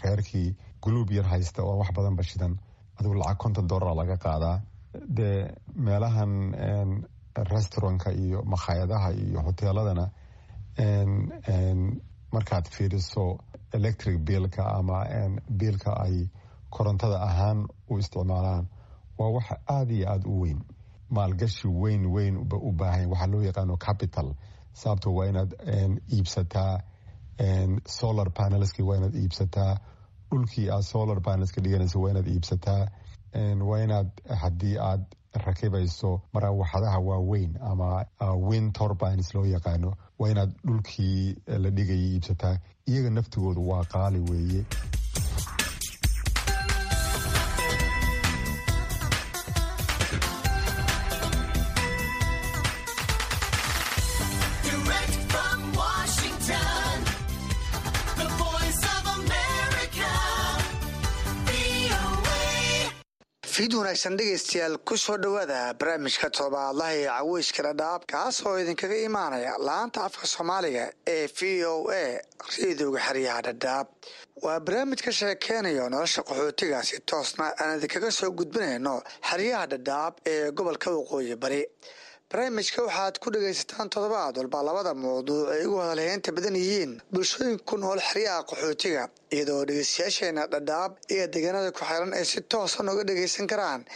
reerkii guluub yar haysta oo wax badan bashidan, adigu lacag konton dollar laga qaadaa. Dee meelahan restaurantka iyo makhaayadaha iyo hoteeladana markaad fiiriso electric biilka ama biilka ay korontada ahaan u isticmaalaan, waa wax aada iyo aada u weyn. Maalgashi weyn weyn u baahan, waxaa loo yaqaano capital, sababto waa inaad iibsataa solar panelski, waa inaad iibsataa dhulkii aad solar panelska dhiganayso, waa inaad iibsataa, waa inaad haddii aad rakibayso maraawaxadaha waaweyn ama wind turbines loo yaqaano, waa inaad dhulkii la dhigayay iibsataa. Iyaga naftigoodu waa qaali weeye. Direct from Washington, the Voice of America, V O A. Fiid wanaagsan, dhegaystayaal. Ku soo dhowaada barnaamijka todobaadlaha ee Caweyska Dhadhaab, kaas oo idinkaga imaanaya laanta afka Soomaaliga ee V O A, rediyoga xeryaha Dhadhaab. Waa barnaamij ka sheekeynayo nolosha qaxootiga, si toosna aan idinkaga soo gudbinayno xeryaha Dhadhaab ee gobolka Waqooyi Bari. Barnaamijka waxaad ku dhagaysataan toddobaad walba labada mawduuc ay ugu hadalheynta badan yihiin bulshooyinka ku nool xeryaha qaxootiga, iyadoo dhegeystayaasheena Dhadhaab iyo deegaanada ku xiran ay si toosan uga dhageysan karaan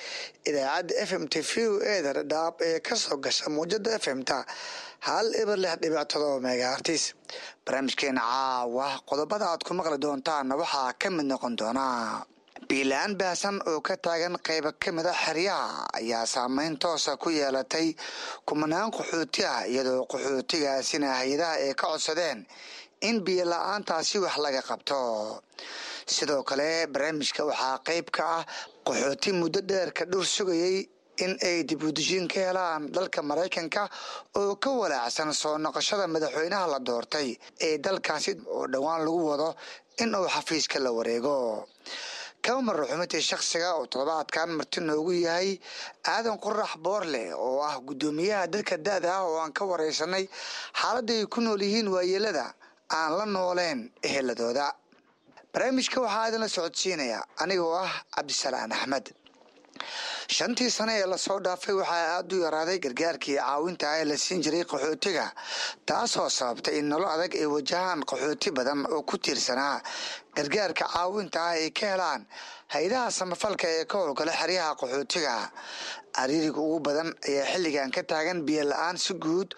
idaacadda F M ta V O A da Dhadhaab ee kasoo gasha muujada F M ta hal eber lix dhibic todoba megahertz. Barnaamijkeena caawa qodobada aad ku maqli doontaanna waxaa ka mid noqon doonaa: biyo la'aan baahsan oo ka taagan qaybo ka mid ah xeryaha ayaa saameyn toosa ku yeelatay kumanaan qaxooti ah, iyadoo qaxootigaasina hay-adaha ay ka codsadeen in biyo la-aantaasi wax laga qabto. Sidoo kale barnaamijka waxaa qayb ka ah qaxooti muddo dheer ka dhur sugayay in ay dib u dejin ka helaan dalka Maraykanka oo ka walaacsan soo noqoshada madaxweynaha la doortay ee dalkaasi oo dhowaan lagu wado in uu xafiiska la wareego. Kama marro xubintii shakhsiga oo toddobaadkan marti noogu yahay Aadan Qorax Boorle, oo ah guddoomiyaha dadka da-da ah, oo aan ka wareysanay xaaladda ay ku nool yihiin waayeelada aan la nooleen eheladooda. Barnaamijka waxaa idinla socodsiinaya anigoo ah Cabdisalaan Axmed. Shantii sane ee lasoo dhaafay waxaa aada u yaraaday gargaarkii caawinta ah ee la siin jiray qaxootiga, taasoo sababtay in nolol adag ay wajahaan qaxooti badan oo ku tiirsanaa gargaarka caawinta ah ay ka helaan hay-adaha samafalka ee ka howlgala xeryaha qaxootiga. Cariiriga ugu badan ayaa xilligan ka taagan biyo la-aan si guud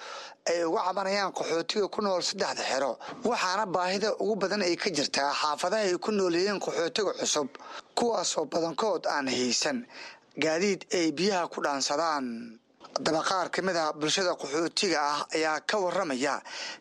ay uga cabanayaan qaxootiga ku nool saddexda xero, waxaana baahida ugu badan ay ka jirtaa xaafadaha ay ku nool yihiin qaxootiga cusub, kuwaasoo badankood aan haysan gaadiid ay biyaha ku dhaansadaan. Haddaba qaar ka mid ah bulshada qaxootiga ah ayaa ka waramaya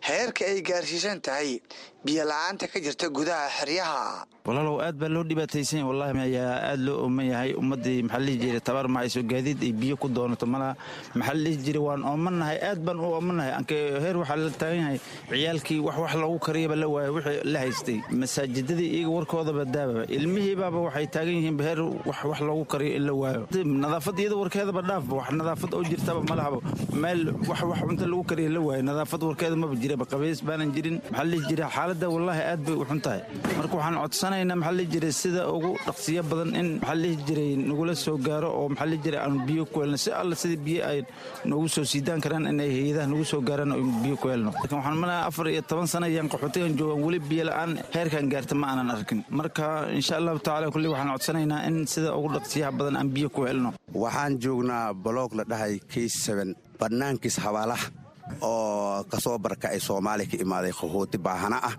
heerka ay gaarsiisan tahay biyo la-aanta ka jirta gudaha xeryaha. Walaalow, aad baa loo dhibaataysan wallahi, ayaa aad loo ooman yahay ummaddii. Maxaa la dhihi jiray, tabar ma hayso gaadiid ay biyo ku doonato malaha. Maxaa la dhihi jiray, waan oomannahay, aad baan u oomannahay. Anke heer waxaa la taagan yahay ciyaalkii wax wax loogu kariyaba la waayo. Wixii la haystay masaajidadii iyaga warkoodaba daababa, ilmihiibaaba waxay taagan yihiin heer wax wax loogu kariyo in la waayo. Nadaafad iyada warkeedaba dhaafba, wax nadaafad oo jirtaba malahaba. Meel wax wax cunto lagu kariyo la waayo, nadaafad warkeeda maba jiraba, qabays baanan jirin. Maxaa la dhihi jiray, xaaladda wallaahi aad bay u xun tahay. Marka waxaan codsanaynaa, maxaa la dhihi jiray, sida ugu dhaqsiyo badan in, maxaa la dhihi jiray, nagula soo gaaro oo, maxaa la dhihi jiray, aanu biyo ku helno. Si alla sidii biyo ay noogu soo siidaan karaan, inay hay-adaha nagu soo gaaraan oo biyo ku helno. Laakiin waxaan malaya afar iyo toban sano ayaan qaxootigan joogaan, weli biyo la'aan heerkan gaarta ma aanan arkin. Marka insha Allahu tacaala kulli waxaan codsanaynaa in sida ugu dhaqsiyaha badan aan biyo ku helno. Waxaan joognaa block la dhahay K seven, bannaankiis habaalaha oo kasoo barkacay, Soomaaliya ka imaaday, qaxooti baahana ah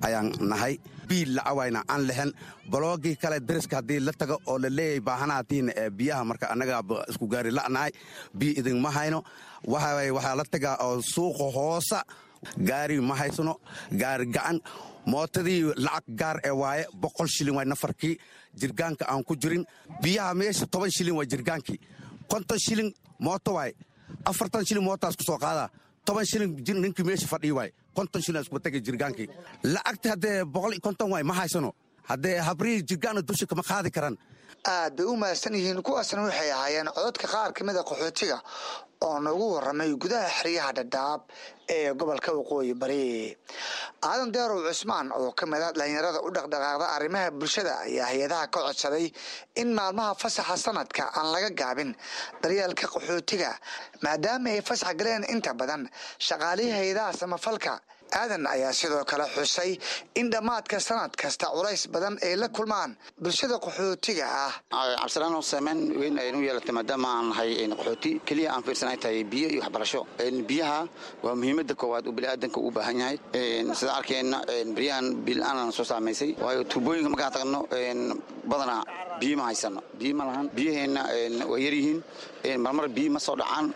ayaan nahay. Biil lacawayna aan lehen. Blockgii kale dariska haddii la tago oo la leeyahay baahanaatiina ee biyaha, marka annagaa isku gaari la'nahay, biyo idinma hayno. Waxa waxaa la tagaa oo suuqa hoosa, gaari ma haysano, gaari gacan mootadii lacag gaar ee waaye, boqol shilin waay nafarkii, jirgaanka aan ku jirin biyaha meesha toban shilin waa jirgaankii, konton shilin mooto waay. Afartan shilin mootaas ku soo qaadaa, toban shilin ninkii meesha fadhiyi waay, konton shilin isku tagay jirgaankii. Lacagta haddee boqol iyo konton waay, ma haysano. Haddee habrihii jirgaana dusha kama qaadi karaan. Aad bay u mahadsan yihiin. Kuwaasna waxay ahaayeen cododka qaar ka mid a qaxootiga oo noogu waramay gudaha xeryaha Dhadhaab ee gobolka Waqooyi Bari. Aadan Deerow Cusmaan oo ka mid a dhalinyarada u dhaqdhaqaaqda arrimaha bulshada ayaa hay-adaha ka codsaday in maalmaha fasaxa sanadka aan laga gaabin daryeelka qaxootiga, maadaama ay fasax galeen inta badan shaqaalihii hay-adaha samafalka. Aadan ayaa sidoo kale xusay in dhammaadka sanad kasta culays badan ay la kulmaan bulshada qaxootiga ah. Cabdisalaan, saameyn weyn aynu yeelatay maadaama aan nahay qaxooti. Keliya aan fiirsan ay tahay biyo iyo waxbarasho. Biyaha waa muhiimadda koowaad uu biniaadanka u baahan yahay. Sidaan arkayna, beryahan biyo-la'aan soo saamaysay, waayo tuubooyinka markaan tagno badanaa biyo ma haysano, biyo ma lahan. Biyaheenna waa yaryihiin. Marmar biyo ma soo dhacaan,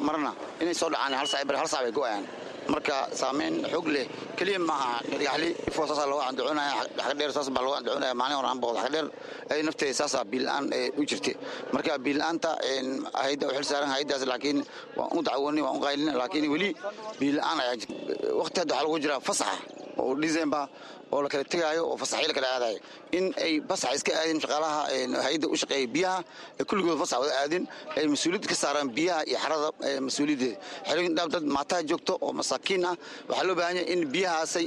marna inay soo dhacaan hal saac, hal saac bay go'ayaan. Marka saameyn xoog leh keliya maaha. Dhagaxli saasaa looga andacoonaya, Xagadheer saas baa looga andacoonaya. Maalin hore aan booqda Xagadheer, ay nafteeda saasaa biyo-la'aan u jirtay. Marka biyo-la'aanta hayadda u xil saaran hayaddaas, laakiin waan u dacwoonay, waan u qaylin, laakiin weli biyo-la'aan ayaa jirta. Waqti hadda waxaa lagu jiraa fasaxa oo December oo la kala tegaayo oo fasaxyo la kala aadayo, in ay fasax iska aadin shaqaalaha hay-adda u shaqeeya biyaha ay kulligood fasax wada aadin, ay mas-uuliyad ka saaraan biyaha iyo xarada mas-uuliyaddeeda. Xerooyin dhaab dad maataa joogto oo masaakiin ah. Waxaa loo baahan yahay in biyahaasay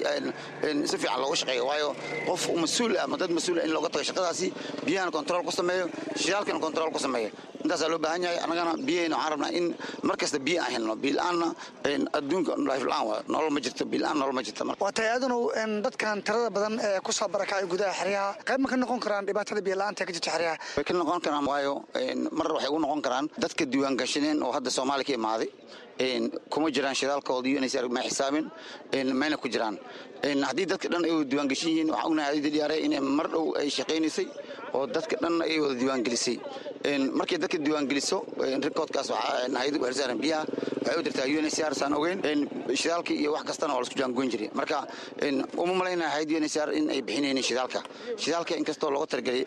si fiican looga shaqeeyo, waayo qof mas-uul ah ama dad mas-uul ah in looga tago shaqadaasi, biyahana control ku sameeyo, shidaalkana control ku sameeyo, intaasaa loo baahan yahay. Annagana biyahayna waxaan rabnaa in mar kasta biyo aan helno. Biyo la'aanna adduunka life la'aan waa nolol ma jirto, biyo la'aan nolol ma jirto. Waa tahay aadanow, dadkan tirada badan ee ku soo barakacay gudaha xeryaha qayb ma ka noqon karaan dhibaatada biyo la'aanta ka jirta xeryaha? Way ka noqon karaan, waayo mar waxay ugu noqon karaan dadka diiwaan gashaneen oo hadda Soomaaliya ka imaaday kuma jiraan shidaalkooda iyo inay ma xisaabin mayna ku jiraan. Haddii dadka dhan ay wada diiwaangeshan yihiin, waxaan ognahay hayadda D R A inay mar dhow ay shaqaynaysay oo dadka dhan ay wada diiwaangelisay. Markay dadka diiwaangeliso, recordkaas waxaa hayadda u xilsaaran biyaha waxay u dirtaa U N H C R, saan ogeyn. Shidaalka iyo wax kastana waa la isku jaangoyn jiray. Marka uma malaynaya hayadda U N H C R in ay bixinaynin shidaalka. Shidaalka inkastoo looga talagelay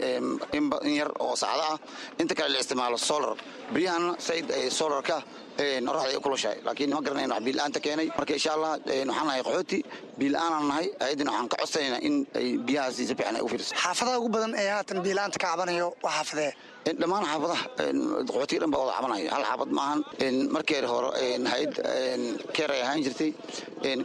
in yar oo saacado ah, inta kale la isticmaalo solar. Biyahan said ay solarka qoraxda ay u kulushahay, laakiin ma garanayno wax biyo-la'aanta keenay. Marka insha Allah waxaan nahay qaxooti, biyo-la'aanaan nahay. Ayaddana waxaan ka codsanaynaa in ay biyahaasi si fiican ay u fiiriso. Xaafadaha ugu badan ee haatan biyo-la'aanta ka cabanayo waa xaafadee? Dhammaan xaafadaha qaxootiga dhan baa wada cabanaya, hal xaafad maahan. Markii hore hayad CARE ay ahaan jirtay,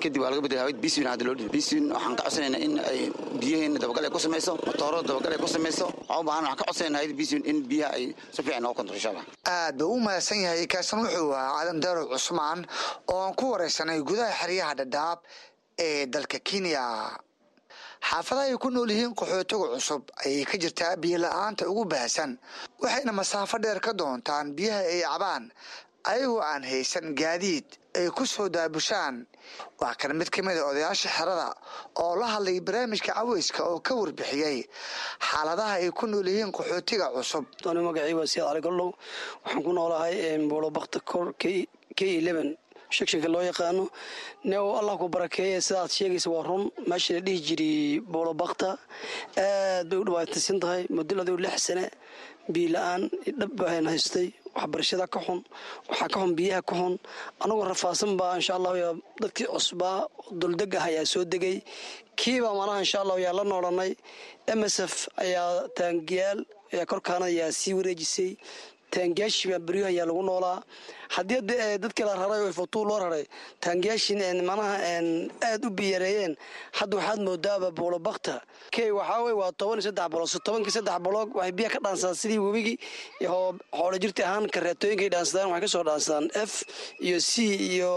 kadib waa laga bedelay hayad Peace Winds. Hadda loo dhibay Peace Winds. Waxaan ka codsanaynaa in ay biyaheena dabagal ay ku samayso, matooro dabagal ay ku samayso. Waxaan u baahan, waxaan ka codsanaynaa hayad Peace Winds in biyaha ay si fiican nooga control, insha Allah. Aad buu u mahadsan yahay. Kaasan wuxuu ahaa Aadan Daarow Cusmaan oo aan ku wareysanay gudaha xeryaha Dhadhaab ee dalka Kenya. Xaafadaha ay ku nool yihiin qaxootiga cusub ayay ka jirtaa biyo la-aanta ugu baahsan, waxayna masaafo dheer ka doontaan biyaha ay cabaan, ayagoo aan haysan gaadiid ay ku soo daabushaan. Waa kan mid ka mid a odayaasha xerada oo la hadlay barnaamijka caweyska oo ka warbixiyey xaaladaha ay ku nool yihiin qaxootiga cusub. Anu magacii waa Siyaad Cali Gollow. Waxaan ku noolahay Buulobakta kor K eleven section-ka loo yaqaano. Neow, Allah ku barakeeye, sidaad sheegaysa waa run. Meesha la dhihi jiray Buulobakta aad bay u dhibaataysan tahay muddo lix sane. Biyo la-aan dhab baan haystay, waxbarashada ka xun, waxaa ka xun biyaha ka xun. Anagoo rafaadsan baa, insha Allahu, dadkii cusbaa duldeg ah ayaa soo degay. Kiibaa manaha, insha Allahu, yaa la noolanay. M S F ayaa taangiyaal ayaa korkaana ayaa sii wareejisay. Taangiyaashii baa beryaha ayaa lagu noolaa. Haddii dadkii la raray oo Ifatuu loo raray, taangiyaashii manaha aad u biyareeyeen. Hadda waxaad moodaaba Buulobakta K waxaa wey waa toban iyo saddex block. Tobankii saddex block waxay biyaha ka dhaansadaan sidii webigii xoolo jirti ahaan. Kareetooyinkay dhaansadaan, waxay kasoo dhaansadaan F iyo C iyo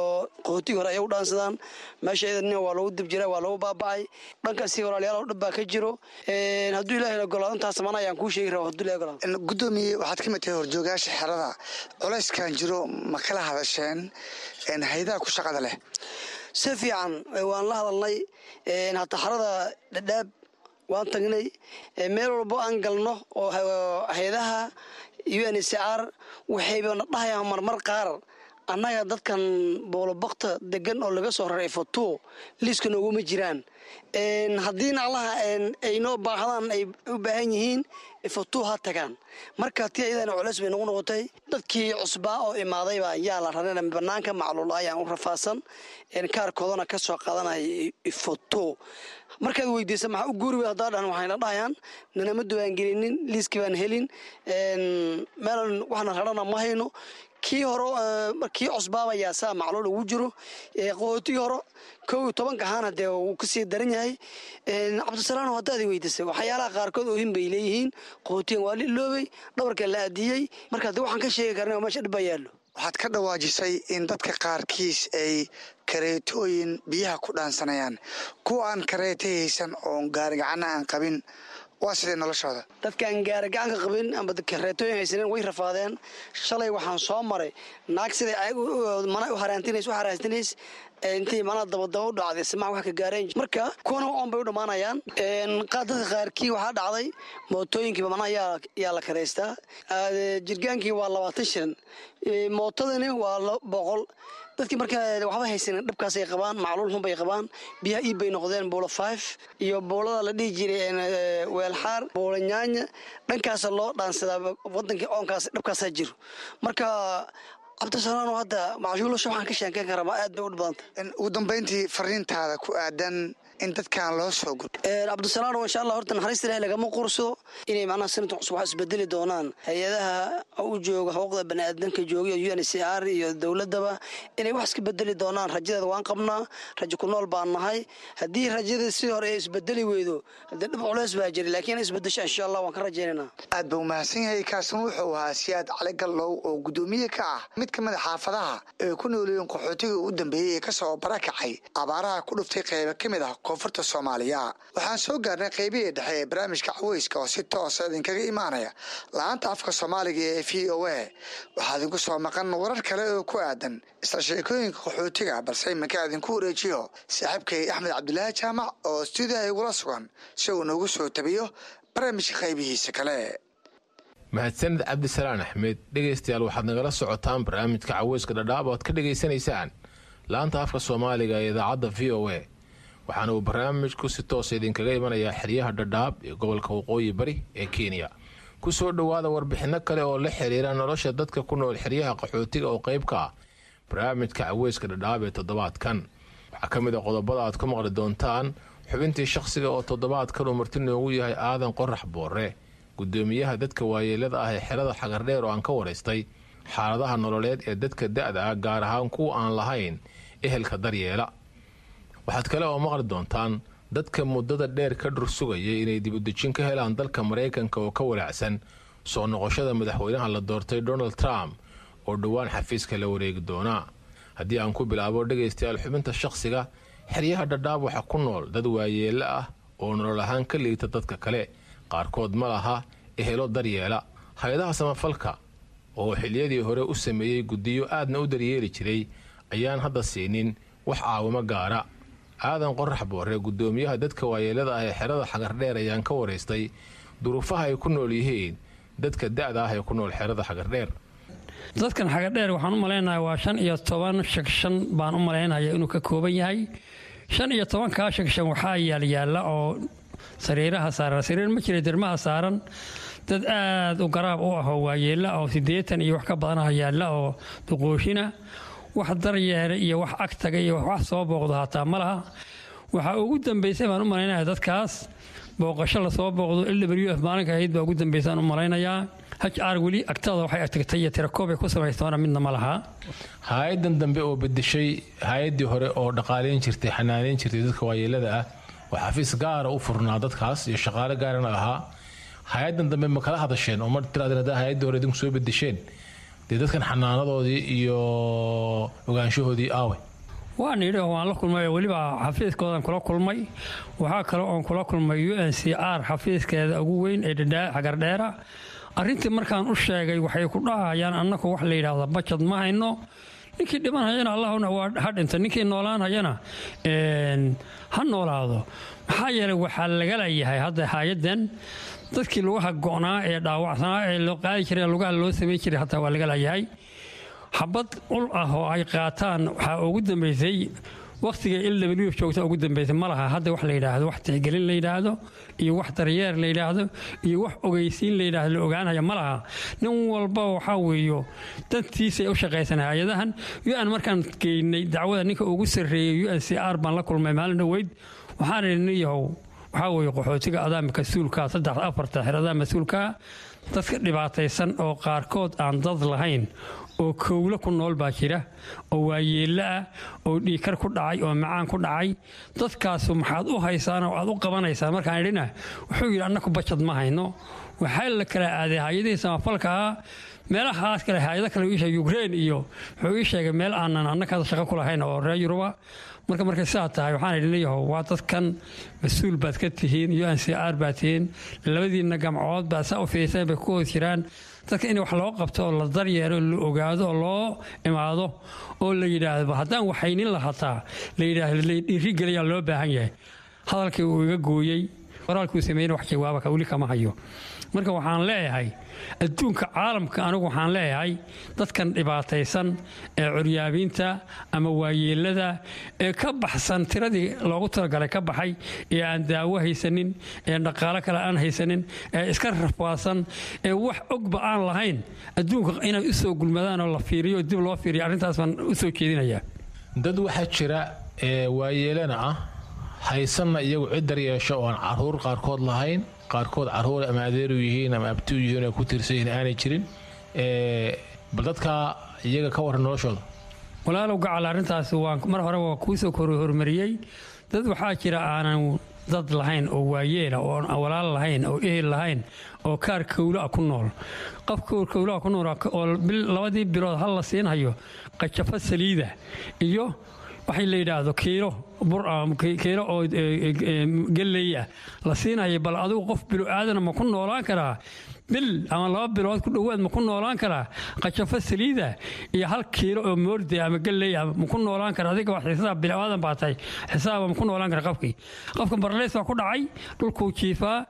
qaxootigii hore ayay u dhaansadaan. Meesha iyadana waa lagu dib jiraa, waa lagu baaba'ay. Dhankaasi walaalayaal oo dhib baa ka jiro. Hadduu Ilaahay ogolaado, intaas mana ayaan kuu sheegi rabaa, hadduu Ilahay ogolaado. Gudoomiye, waxaad ka mid tahay horjoogayaasha xerada. Culayskan jiro ma kala hadasheen hayadaha ku shaqada leh? Si fiican waan la hadalnay. Hataa xarada Dhadhaab waan tagnay. Meel walbo aan galno oo hay-adaha U N C R waxayba na dhahayaan marmar qaar Annaga dadkan Boolobakta degan oo laga soo raray Ifo two liiska nooguma jiraan. Haddii naclaha ay noo baahdaan, ay u baahan yihiin, Ifo two ha tagaan. Marka ti ayadana culeys bay nagu noqotay. Dadkii cusbaa oo imaadayba yaa la rarana banaanka, macluul ayaan u rafaadsan, kaarkoodana ka soo qaadanaya Ifo two. Markaad weydiisa maxaa u guuri wey, haddaa dhahan, waxayna dhahayaan nanama diiwaangelinin, liiskii baan helin, meelan waxna rarana ma hayno. Kii hore, kii cusbaaba yaa saa macluul ugu jiro. Qaxootigii hore kow iyo tobanka ahaana dee wuu kasii daran yahay. Cabdisalaano, haddaad weydiisay, waxyaalaha qaarkood oohin bay leeyihiin. Qaxootigan waa la iloobay, dhabarka la aadiyey. Marka dee waxaan ka sheegi karna meesha dhib baa yaallo. Waxaad ka dhawaajisay in dadka qaarkiis ay kareetooyin biyaha ku dhaansanayaan. Kuwa aan kareeto haysan oon gaarigacana aan qabin, waa sidee noloshooda? Dadkaan gaari gacanka qabin ama kareetooyin haysanin way rafaadeen. Shalay waxaan soo maray naag siday mana u haraantinays u haraantinays intii manaa dabadaba u dhacday, simaha wax ka gaareen. Marka kuwana oon bay u dhammaanayaan. Dadka qaarkii waxaa dhacday mootooyinkiiba manaa yaa yaa la karaystaa. Jirgaankii waa labaatan shilin, mootadani waa boqol. Dadkii marka waxba haysanin dhibkaasay qabaan, macluul xun bay qabaan. Biyaha iib bay noqdeen. Buulo five iyo buulada la dhihi jiray Weelxaar, Buulo Nyaanya, dhankaasa loo dhaansadaa wadankii. Oonkaas dhibkaasaa jiro. Marka Cabdisalaano, hadda macshuulasha waxaan ka sheekeyn karaa aad bay u badanta. Ugu dambayntii, fariintaada ku aadan in dadkan loo soo guro? Cabdisalaano, insha Allah, horta naxariista Ilahi lagama qursado. Inay macnaha sanadka cusub wax isbedeli doonaan, hay-adaha u jooga xuquuqda baniaadamka jooga, U N C R iyo dowladaba, inay wax iska bedeli doonaan rajadeeda waan qabnaa. Rajo ku nool baan nahay. Haddii rajada sidii hore ay isbedeli weydo, haddii dhib culeys baa jira, laakiin inay isbedesho insha Allah waan ka rajaynayna. Aad buu umahadsan yahay. Kaasina wuxuu ahaa Siyaad Cali Gallow oo guddoomiye ka ah mid ka mid a xaafadaha ee ku noolyihiin qaxootigii u dambeeyey ee kasoo barakacay abaaraha ku dhuftay qeybo ka mid ah koonfurta Soomaaliya. Waxaan soo gaarnay qeybihii dhexe ee barnaamijka caweyska oo si toosa idinkaga imaanaya la-aanta afka Soomaaliga ee V O A. Waxaa idinku soo maqan warar kale oo ku aadan isla sheekooyinka qaxootiga, balse iminka idinku wareejiyo saaxiibkay Axmed Cabdilaahi Jaamac oo stuudiyaha igula sugan si uu noogu soo tabiyo barnaamijka qaybihiisa kale. Mahadsanid Cabdisalaan Axmed. Dhegaystayaal, waxaad nagala socotaan barnaamijka caweyska Dhadhaab oo aad ka dhegaysanaysaan laanta afka Soomaaliga ee idaacadda V O A. Waxaana uu barnaamijku si toosa idinkaga imanayaa xeryaha Dhadhaab ee gobolka Waqooyi Bari ee Kenya. Ku soo dhowaada warbixinno kale oo la xiriira nolosha dadka ku nool xeryaha qaxootiga oo qayb ka ah barnaamijka caweyska Dhadhaab ee toddobaadkan. Waxaa ka mid a qodobada aad ku maqli doontaan xubintii shakhsiga oo toddobaadkan uu marti noogu yahay Aadan Qorax Boore, gudoomiyaha dadka waayeelada ah ee xerada Xagardheer, oo aan ka waraystay xaaladaha nololeed ee dadka da-da ah, gaar ahaan kuwa aan lahayn ehelka daryeela. Waxaad kale oo maqli doontaan dadka muddada dheer ka dhur sugayay inay dibudejin ka helaan dalka Maraykanka oo ka walaacsan soo noqoshada madaxweynaha la doortay Donald Trump oo dhowaan xafiiska la wareegi doonaa. Haddii aan ku bilaabo, dhegaystayaal, xubinta shakhsiga, xeryaha Dhadhaab waxaa ku nool dad waayeelo ah oo nolol ahaan ka liita dadka kale. Qaarkood ma laha ehelo daryeela. Hay-adaha samafalka oo xiliyadii hore u sameeyey guddiyo aadna u daryeeli jiray ayaan hadda siinin wax caawimo gaara. Aadan Qorax Boore, guddoomiyaha dadka waayeelada ah ee xerada Xagardheer, ayaan ka waraystay duruufaha ay ku nool yihiin dadka da-da ah ee ku nool xerada Xagardheer. Dadkan Xagadheer waxaan u malaynayaa waa shan iyo toban section baan u malaynaya inuu ka kooban yahay. Shan iyo tobankaa section waxaa yaalyaalla oo sariiraha saaran, sariir ma jira, dermaha saaran dad aad u garaab u ah oo waayeella oo siddeetan iyo wax ka badanaha yaalla oo duqooshina. Wax daryeela iyo wax agtaga iyo wax soo booqdo hataa ma laha. Waxaa ugu dambaysay baan u malaynaya dadkaas booqasho lasoo booqdo L W F maalinka ahayd baa ugu dambaysaan u malaynayaa. H R weli agtada waxay agtagtay iyo tirakoob ay ku samaystoona midna ma laha. Hay-adan dambe oo bedeshay hay-addii hore oo dhaqaaleyn jirtay, xanaaneyn jirtay dadka waayeelada ah, oo xafiis gaara u furnaa dadkaas iyo shaqaale gaarana lahaa, hay-adan dambe ma kala hadasheen oo ma tiraadeen haddaa hay-addii hore idinku soo bedesheen, dee dadkan xanaanadoodii iyo ogaanshahoodii aawe? Waan idhi oo waan la kulmay oo weliba xafiiskoodan kula kulmay. Waxaa kale oon kula kulmay U N C R xafiiskeeda ugu weyn ee Xagardheera. Arrintii markaan u sheegay, waxay ku dhahayaan annaku wax la yidhaahda budget ma hayno. Ninkii dhimanhayana Allahuna waa ha dhinta, ninkii noolaanhayana ha noolaado. Maxaa yeelay waxaa laga leeyahay hadda hay-addan dadkii lugaha go'naa ee dhaawacsanaa ee loo qaadi jiray, lugaha loo samayn jiray, hataa waa laga leeyahay. Xabad ul ah oo ay qaataan waxaa ugu dambeysay wakhtiga L W joogta ugu dambeysay. Ma laha hadda wax la yidhaahdo, wax tixgelin la yidhaahdo iyo wax daryeer la yidhaahdo iyo wax ogeysiin la yidhaahdo la ogaanaya ma laha. Nin walba waxaa weeyo dantiisay u shaqaysan hay-adahan U N. Markaan geynay dacwada, ninka ugu sarreeyey U N C R baan la kulmay maalin dhoweyd. Waxaan idhi, nin yahow, waxaa weeye qaxootiga adaa mas-uulka, saddex afarta xeradaa mas-uulka, dadka dhibaataysan oo qaarkood aan dad lahayn oo kowlo ku nool baa jira, oo waayeello ah, oo dhiikar ku dhacay, oo macaan ku dhacay. Dadkaasu maxaad u haysaan oo aad u qabanaysaan? Markaan idhina, wuxuu yidhi, annaku bajad ma hayno. Waxaa la kala aaday hay-adihii samafalka ahaa, meelahaas kale, hay-ado kale ii sheegay, Ukraine iyo wuxuu ii sheegay meel aanan annaka shaqo ku lahayn oo reer Yuruba. Marka markay sidaa tahay, waxaan idhi, leeyahow, waa dadkan mas-uul baad ka tihiin, U N C R baad tihiin, labadiinna gamcood baad saa u fiirseen bay ku hoos jiraan. Dadka in wax loo qabto oo la daryeelo, la ogaado oo loo imaado oo la yidhaahdo haddaan waxaynin lahataa la yidhaahdo, la dhiirigeliyaa loo baahan yahay. Hadalkii uu iga gooyey, qoraalkuu sameeyena wax jawaaba ka weli kama hayo. Marka waxaan leeyahay adduunka caalamka, anigu waxaan leeyahay dadkan dhibaataysan ee curyaabiinta ama waayeelada ee ka baxsan tiradii loogu talagalay ka baxay, ee aan daawo haysanin, ee dhaqaalo kale aan haysanin, ee iska rafaadsan, ee wax ogba aan lahayn, adduunka inay u soo gulmadaan oo la fiiriyo, dib loo fiiriyo, arrintaas baan u soo jeedinayaa. Dad waxaa jira ee waayeelana ah, haysanna iyagu cid daryeesho, oo aan caruur qaarkood lahayn, qaarkood caruur ama adeeru yihiin ama abti u yihiin oo ku tiirsan yihiin aanay jirin. Bal dadka iyaga ka warran noloshooda. Walaalow gacal, arrintaas waan mar hore waa kuu soo kor hormariyey. Dad waxaa jira aanan dad lahayn oo waayeela, oo aan walaal lahayn oo ehel lahayn, oo kaar kowla ku nool. Qof kowlaa ku nool oo labadii bilood hal la siinhayo qajafo saliida iyo waxay la yidhaahdo kiilo bur, kiilo oo galley ah la siinaya. Bal adigu qof bilo aadana ma ku noolaan karaa bil ama laba bilood ku dhowaad? Ma ku noolaan karaa qajafo saliida iyo hal kiilo oo moorde ama galley ah? Ma ku noolaan karaa? Adiga waa xisaab, bilo aadan baa tahay, xisaaba ma ku noolaan kara qofkii? Qofka barleys baa ku dhacay, dhulkuu jiifaa,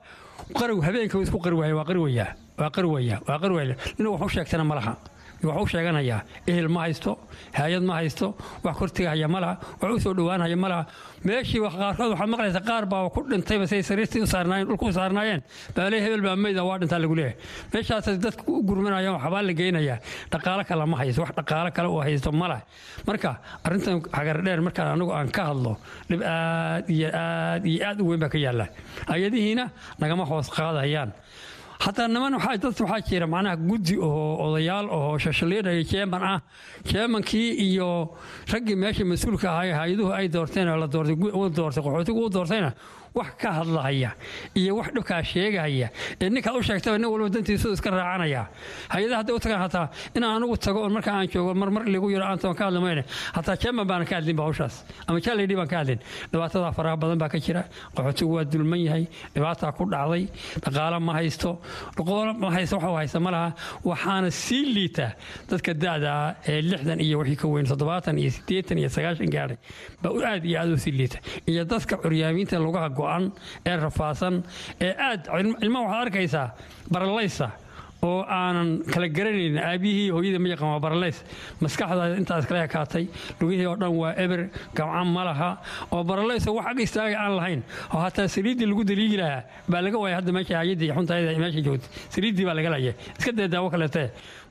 qarow habeenka isku qarwaaya, waa qarwayaa, waa qarwaya, waa qarwaya. Inuu wax u sheegtana ma laha. Wax u sheeganayaa ehel ma haysto, hay-ad ma haysto, wax kortigahaya ma laha, wax u soo dhowaanhaya ma laha. Meeshii qaarkood waxaad maqlaysa qaar baa ku dhintayba say sariirtii u saarnaayeen, dhulka u saarnaayeen baa lee hebel baa meyda, waa dhintaa lagu leeyahay. Meeshaas dadku u gurmanayaan, waxbaa la geynayaa, dhaqaalo kale ma haysto, wax dhaqaalo kale oo haysto ma laha. Marka arrintan Xagardheer markaan anigu aan ka hadlo, dhib aad iyo aad iyo aad u weyn baa ka yaalla. Hay-adihiina nagama hoos qaadayaan. Hataa niman waxaa dad waxaa jira macnaha guddi oo odayaal oo shashaliinaya, chairman ah. Chairmankii iyo raggii meesha mas-uulka ahaa, hay-aduhu ay doorteen oo la doortay, uu doortay, qaxootigu uu doortayna, wax ka hadlahaya iyo wax dhibkaa sheegahaya ee ninkaad u sheegtaba, nin walba dantiisu iska raacanaya. Hay-adaha hadday u tagaan, hataa inaan anigu tago oo marka aan joogo mar mar lagu yiro aan ka hadli mayne, hataa chairman baan ka hadlin ba hawshaas ama chairlady baan ka hadlin. Dhibaatada faraha badan baa ka jira. Qaxootigu waa dulman yahay, dhibaataa ku dhacday, dhaqaalo ma haysto, dhaqaalo ma haysto, waxa uu haysta ma laha. Waxaana sii liita dadka da'da ah ee lixdan iyo wixii ka weyn, toddobaatan iyo siddeetan iyo sagaashan gaadhay baa aad iyo aad u sii liita, iyo dadka curyaamiinta lugaha go'an ee rafaadsan ee aad ilmaha waxaad arkaysaa baralaysa oo aanan kala garanayn aabihii hooyada ma yaqaan, waa baralays, maskaxda intaas kala ekaatay, lugihii oo dhan waa eber, gamca ma laha, oo baralays oo wax ag istaaga aan lahayn, oo hataa saliiddii lagu daliigi lahaa baa laga waayay. Hadda meesha hayadii xuntayda meesha joogtay saliiddii baa laga laayay, iska dee daawo kaleete.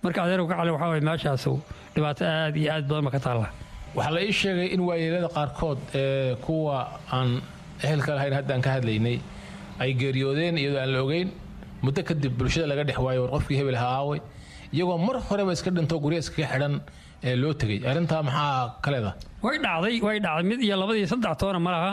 Marka adeerku ka cali, waxaa waye meeshaasu dhibaato aad iyo aad badan ba ka taalla. Waxaa la ii sheegay in waayeelada qaarkood ee kuwa aan ehelka lahayn haddaan ka hadlaynay ay geeriyoodeen iyadoo aan la ogeyn. Muddo kadib bulshada laga dhex waayo, war qofkii hebel ha aaway, iyagoo mar horeba iska dhinto, gurya iskaga xidhan ee loo tegey. Arrintaa maxaa ka leedahay? Way dhacday, way dhacday. Mid iyo labadii saddex toona ma laha.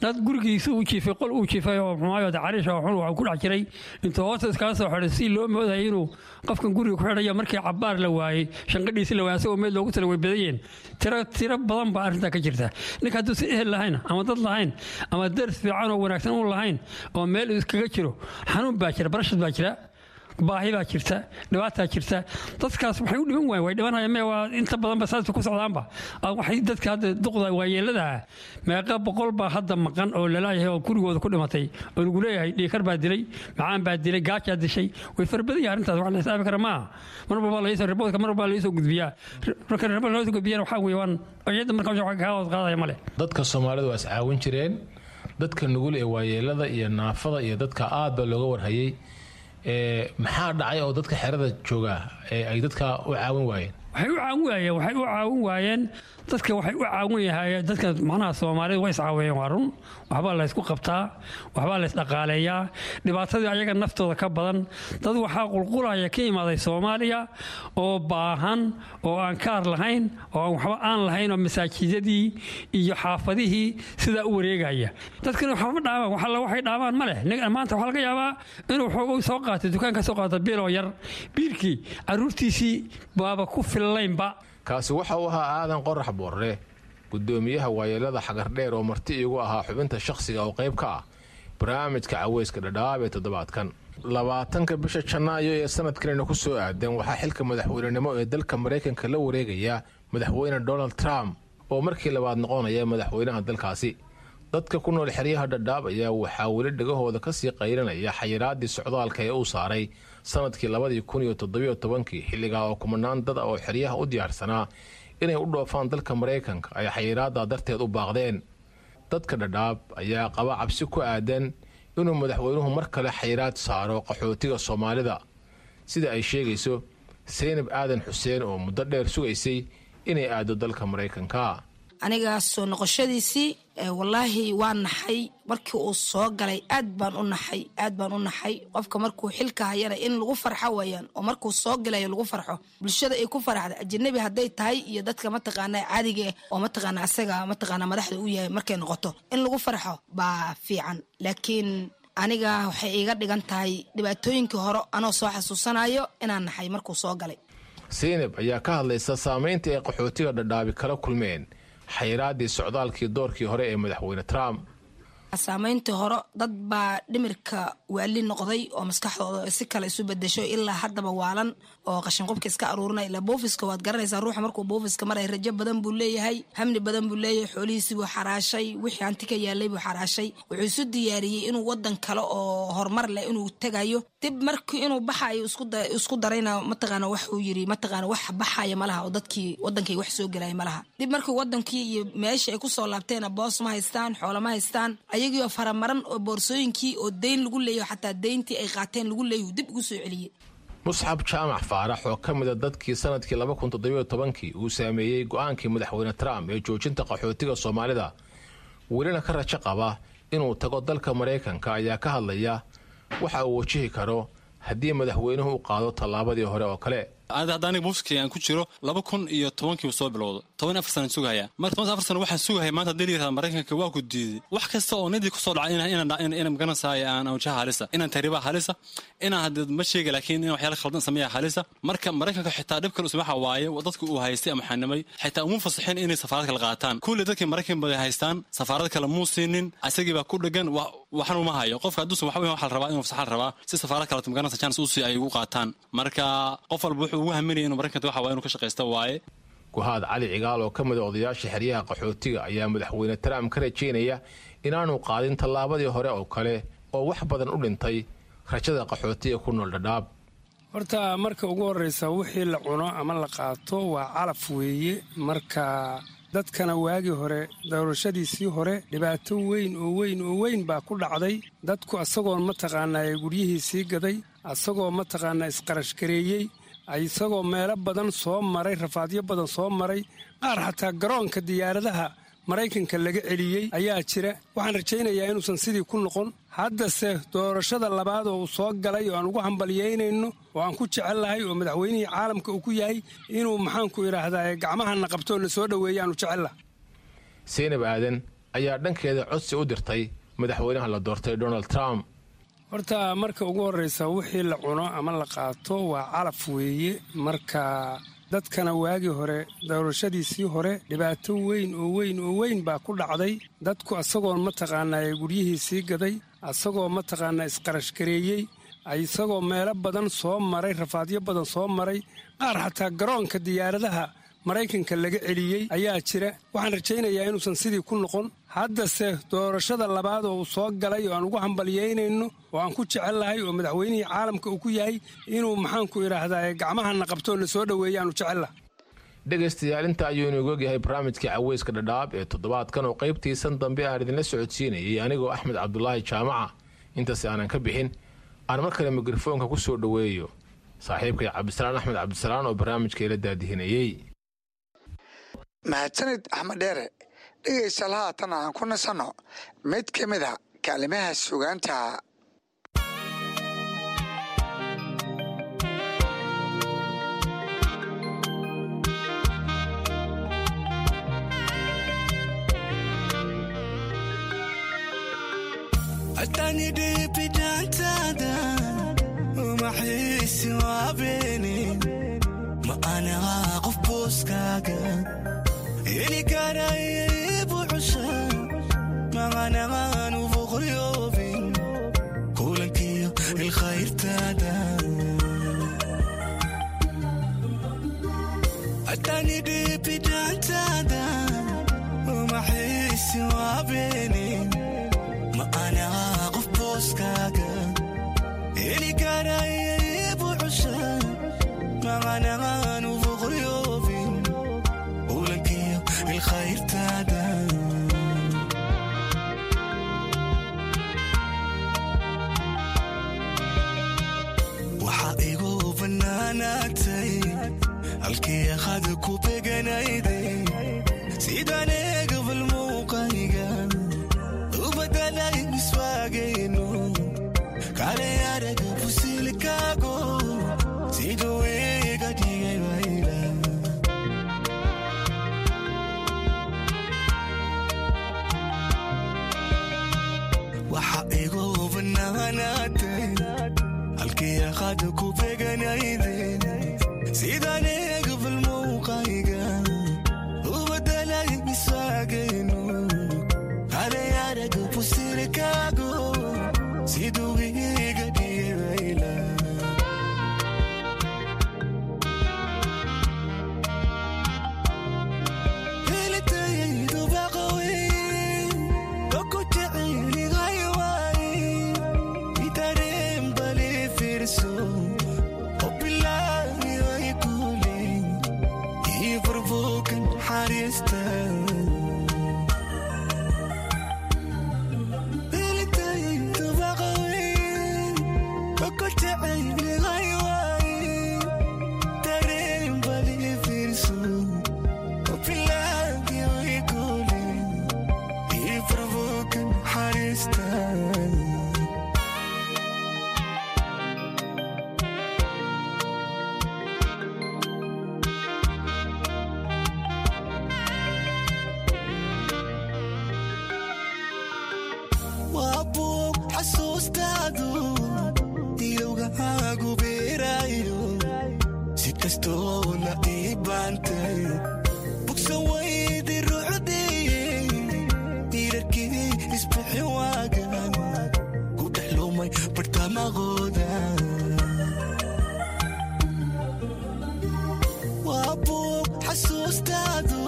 Dad gurigiisa uu jiifay, qol uu jiifay oo xumaayo cariish oo xun waxa ku dhex jiray, intuu hoosta iskaga soo xidhay si loo moodayay inuu qofkan guriga ku xidhayo, markii cabbaar la waayey, shanqadhiisi la waayey, asagoo meel loogu tala way badayeen. Tiro tiro badan baa arrintaa ka jirta. Ninka hadduusan ehel lahayn ama dad lahayn ama dars fiican oo wanaagsan uun lahayn oo meel iskaga jiro, xanuun baa jira, barashad baa jira. Baahi baa jirta, dhibaataa jirta. Dadkaas waxay u dhiman waayeen, way dhimanayaan mee, waa inta badanba saas ku socdaanba. Waxay dadka hadda duqda waayeeladaha, meeqa boqol baa hadda maqan oo lalaayahay oo gurigooda ku dhimatay oo lagu leeyahay dhiikar baa dilay, macaan baa dilay, gaajaa dishay. Way fara badan yahay arrintaas, wax la xisaabi kara maaha. Mar walba laysoo riboodka, mar walba laysoo gudbiyaa. Marka ribood loo soo gudbiyana waxaa weeye waan iyada marka wax kaa hoos qaadaya male. Dadka Soomaalidu waa is caawin jireen. Dadka nugul ee waayeelada iyo naafada iyo dadka aad baa looga warhayay. Maxaa dhacay oo dadka xerada jooga ee ay dadka u caawin waayeen? Waxay u caawin waayeen, waxay u caawin waayeen dadka, waxay u caawin yahaayeen dadka, macnaha Soomaalida way iscaawiyeen, waa run. Waxbaa la ysku qabtaa, waxbaa la isdhaqaaleeyaa. Dhibaatadii ayaga naftooda ka badan. Dad waxaa qulqulaya ka imaaday Soomaaliya oo baahan oo aan kaar lahayn oo aan waxba aan lahayn oo masaajidadii iyo xaafadihii sidaa u wareegaya. Dadkana waxba ma dhaabaan, wax alla waxay dhaabaan ma leh. Maanta waxaa laga yaabaa inuu xoogo soo qaatay, dukaan ka soo qaata biiloo yar, biilkii carruurtiisii baaba ku fillaynba. Kaasi waxa uu ahaa Aadan Qorax Boorre, gudoomiyaha waayeelada Xagardheer, oo marti iigu ahaa xubinta shakhsiga oo qayb ka ah barnaamijka Caweyska Dhadhaab ee toddobaadkan. Labaatanka bisha Janaayo ee sanadkanina ku soo aadan waxaa xilka madaxweynenimo ee dalka Maraykanka la wareegaya madaxweyne Donald Trump oo markii labaad noqonaya madaxweynaha dalkaasi. Dadka ku nool xeryaha Dhadhaab ayaa waxaa weli dhegahooda kasii qaylinaya xayiraadii socdaalka ee uu saaray sanadkii labadii kun iyo toddobiyo tobankii, xilligaa oo kumanaan dad ah oo xeryaha u diyaarsanaa inay u dhoofaan dalka Maraykanka ay xayiraaddaa darteed u baaqdeen. Dadka Dhadhaab ayaa qaba cabsi ku aadan inuu madaxweynuhu mar kale xayiraad saaro qaxootiga Soomaalida, sida ay sheegayso Seynab Aadan Xuseen oo muddo dheer sugaysay inay aado dalka Maraykanka. Aniga soo noqoshadiisii, wallaahi waa naxay markii uu soo galay. Aad baan u naxay, aad baan u naxay. Qofka markuu xilka hayana in lagu farxo wayaan, oo markuu soo galayo lagu farxo, bulshada ay ku faraxda, ajanabi hadday tahay iyo dadka mataqaana caadiga eh oo mataqaana asaga mataqaana madaxda u yahay, markay noqoto in lagu farxo baa fiican. Laakiin aniga waxay iiga dhigan tahay dhibaatooyinkii hore anoo soo xasuusanayo inaan naxay markuu soo galay. Seynab ayaa ka hadlaysa saameynta ay qaxootiga Dhadhaabi kala kulmeen xayiraadii socdaalkii doorkii hore ee madaxweyne Trump. Saameyntii hore, dad baa dhimirka waali noqday oo maskaxdooda si kale isu bedesho, ilaa haddaba waalan oo qashinqubka iska aruurinay. Ilaa buufiska waad garanaysaa, ruuxa markuu buufiska maray rajo badan buu leeyahay, hamni badan buu leeyahay. Xoolihiisii buu xaraashay, wixii hanti ka yaalay buu xaraashay. Wuxuu isu diyaariyey inuu wadan kale oo horumar leh inuu tegayo. Dib markii inuu baxayo isku darayna, mataqaana waxuu yiri, mataqaana wax baxaya malaha oo dadkii wadankay wax soo gelaya malaha. Dib markii wadankii iyo meesha ay kusoo laabteena, boos ma haystaan, xoolo ma haystaan, ayagiioo faramaran oo boorsooyinkii oo deyn lagu leeyaho, xataa deyntii ay qaateen lagu leeyahu dib ugu soo celiyey. Musxab Jaamac Faarax oo ka mida dadkii sanadkii laba kun toddobiyo tobankii uu saameeyey go-aankii madaxweyne Trump ee joojinta qaxootiga Soomaalida, welina ka rajo qaba inuu tago dalka Maraykanka, ayaa ka hadlaya waxa uu wajihi karo haddii madaxweynuhu u qaado tallaabadii hore oo kale. Hadda aniga buufkii aan ku jiro laba kun iyo tobankiibu soo bilowda, toban afar sana sugahaya. Marka toban afar sana waxaan sugahaya, maanta haddii la yirahda Maraykanka waa ku diiday, wax kasta oo nidii kusoo dhacay inaan magaranaysaay aan wajaha halisa, inaan tahriibaha halisa, inaan hadda ma sheega, laakiin in waxyaala khaldan sameeya halisa. Marka Maraykanka xitaa dhib kale waxa waaye dadka uu haystay ama xanimay xitaa uma fasaxin inay safaarad kale qaataan. Kulli dadkii Maraykan baday haystaan safaarad kale muu siinin, asagii baa ku dhegan, waxan uma hayo. Qofka hadduusan waxba waxa la rabaa inuu fasaxan rabaa si safaarad kale magaranaysa chance u sii ay ugu qaataan. Marka qof walba wuxuu ugu haminaya inuu Maraykanka waxa waa inuu ka shaqaysto waaye. Guhaad Cali Cigaal oo ka mid a odayaasha xeryaha qaxootiga ayaa madaxweyne Trump ka rajaynaya inaanu qaadin tallaabadii hore oo kale oo wax badan u dhintay rajada qaxootiga ku nool Dhadhaab. Horta marka ugu horreysa, wixii la cuno ama la qaato waa calaf weeye. Marka dadkana waagii hore, doorashadiisii hore, dhibaato weyn oo weyn oo weyn baa ku dhacday dadku, asagoon mataqaanaa guryihiisii gaday, asagoo mataqaanaa isqarashgareeyey, isagoo meelo badan soo maray, rafaadyo badan soo maray, qaar xataa garoonka diyaaradaha Maraykanka laga celiyey ayaa jira. Waxaan rajaynayaa inuusan sidii ku noqon. Haddase doorashada labaad oo uu soo galay oo aan ugu hambalyaynayno oo aan ku jecellahay oo madaxweynihii caalamka uu ku yahay, inuu maxaanku idhaahdaa gacmahana qabtoo na soo dhoweeya aanu jecellaha. Seynab Aadan ayaa dhankeeda codsi u dirtay madaxweynaha la doortay Donald Trump. Horta marka ugu horreysa, wixii la cuno ama la qaato waa calaf weeye. Marka dadkana waagii hore, doorashadiisii hore, dhibaato weyn oo weyn oo weyn baa ku dhacday dadku, asagoon mataqaanaa guryihiisii gaday, asagoo mataqaanaa isqarashgareeyey, Isagoo meelo badan soo maray, rafaadyo badan soo maray, qaar xataa garoonka diyaaradaha Maraykanka laga celiyey ayaa jira. Waxaan rajaynayaa inuusan sidii ku noqon. Haddase doorashada labaad oo uu soo galay oo aan ugu hambalyeynayno oo aan ku jecellahay oo madaxweynihii caalamka uu ku yahay inuu, maxaanku idhaahdaa, gacmahana qabto oo na soo dhoweeya aanu jecellahay. Dhegaystayaal, inta ayuu inoogu ogyahay barnaamijkii Caweyska Dhadhaab ee toddobaadkan oo qaybtiisan dambe aan idinla socodsiinayay anigoo Axmed Cabdulaahi Jaamaca. Intaas aanan ka bixin, aan mar kale mikrofoonka ku soo dhoweeyo saaxiibkay Cabdisalaan Axmed Cabdisalaan oo barnaamijka ila daadihinayey. Mahadsanid, Axmed Dheere. Dhegaystayaal, haatan aan ku nasanno mid ka mid a kaalimaha sugaanta. Atani dhibidaantaada uma xiisi waabeeni, ma anagaa qof booskaaga heli karaya buuxusha, maanagaanu boqoryoobin kulankiyo ilkhayrtaada. Atani dhibidaantaada uma xiisi waabeeni, ma anagaa qof booskaaga heli karaya buuxusha, maanagaanu boqoryoobin kulankiyo ilkhayrtaada. Waxaa igu bannaanaatay halkii akhad ku beganayday, sidaan eegabal muuqayga u badalay miswaagayno kale araga fusilkaago siduu iga dhigay wayla. Waxa igu bannaanaatay halkii akhad ku beganayday, sidaan eegabal muuqayga u badalay miswaagayno kale araga fusilkaago siduu iga dhigay wayla. Helitaydu baqaweyn oo ku jecelihay waay itareen bali fiirso oo bilaahi way kuule ii furfuukan xariista. Helitaydu baqaweyn oo ku jecelihay waay tareen bali fiirso oo bilaahi way kuule ii furfuukan xariista. Waa buug xasuustaadu ilowgaagu beeraayo, si kastoo la ii baantay bogsan waydi ruuxdii tiirarkii isbixin waagan ku dhex lumay bartamaqooda. Waa buug xasuustaadu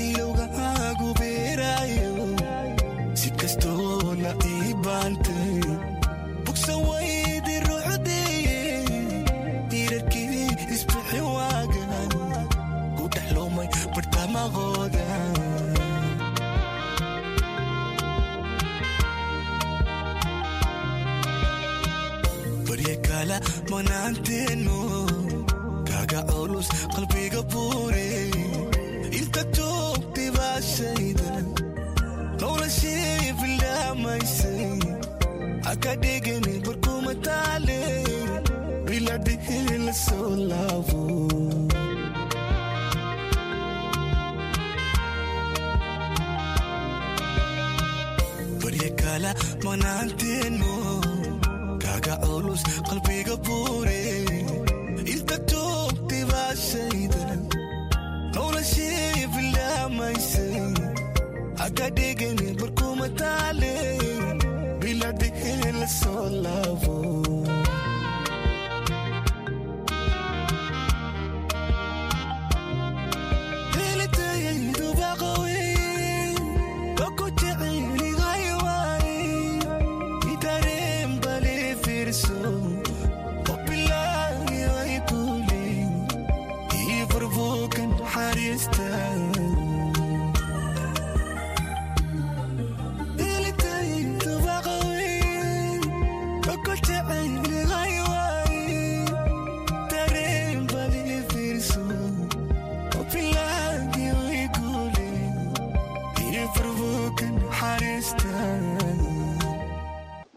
ilowgaagu beeraayo, si kastoo la ii baantay bogsan waydi ruuxdii tiirarkii isbixin waagan ku dhex lumay bartamaqooda. Barya kala manaanteenu kaaga culus qalbiga buure inta joogtay baa shaydan noloshii bilaamaysay haka dhigani barkuma taale biladhihii la soo laabo. Barya kala manaanteenu kaaga culus qalbiga buure inta joogtay baa shaydan noloshii bilaamaysay haka dhigani barkuma taale biladhihii la soo laabo.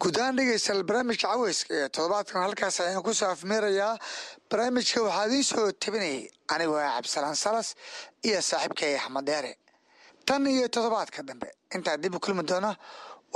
Guud ahaan, dhegeystayaal, barnaamijka caweyska ee toddobaadkan halkaas ayaan kusoo afmeerayaa. Barnaamijka waxaa idiin soo tabinayay anigoo ah Cabdisalaan Salas iyo saaxiibkay Axmed Dheere. Tan iyo toddobaadka dambe intaa dib u kulmi doona,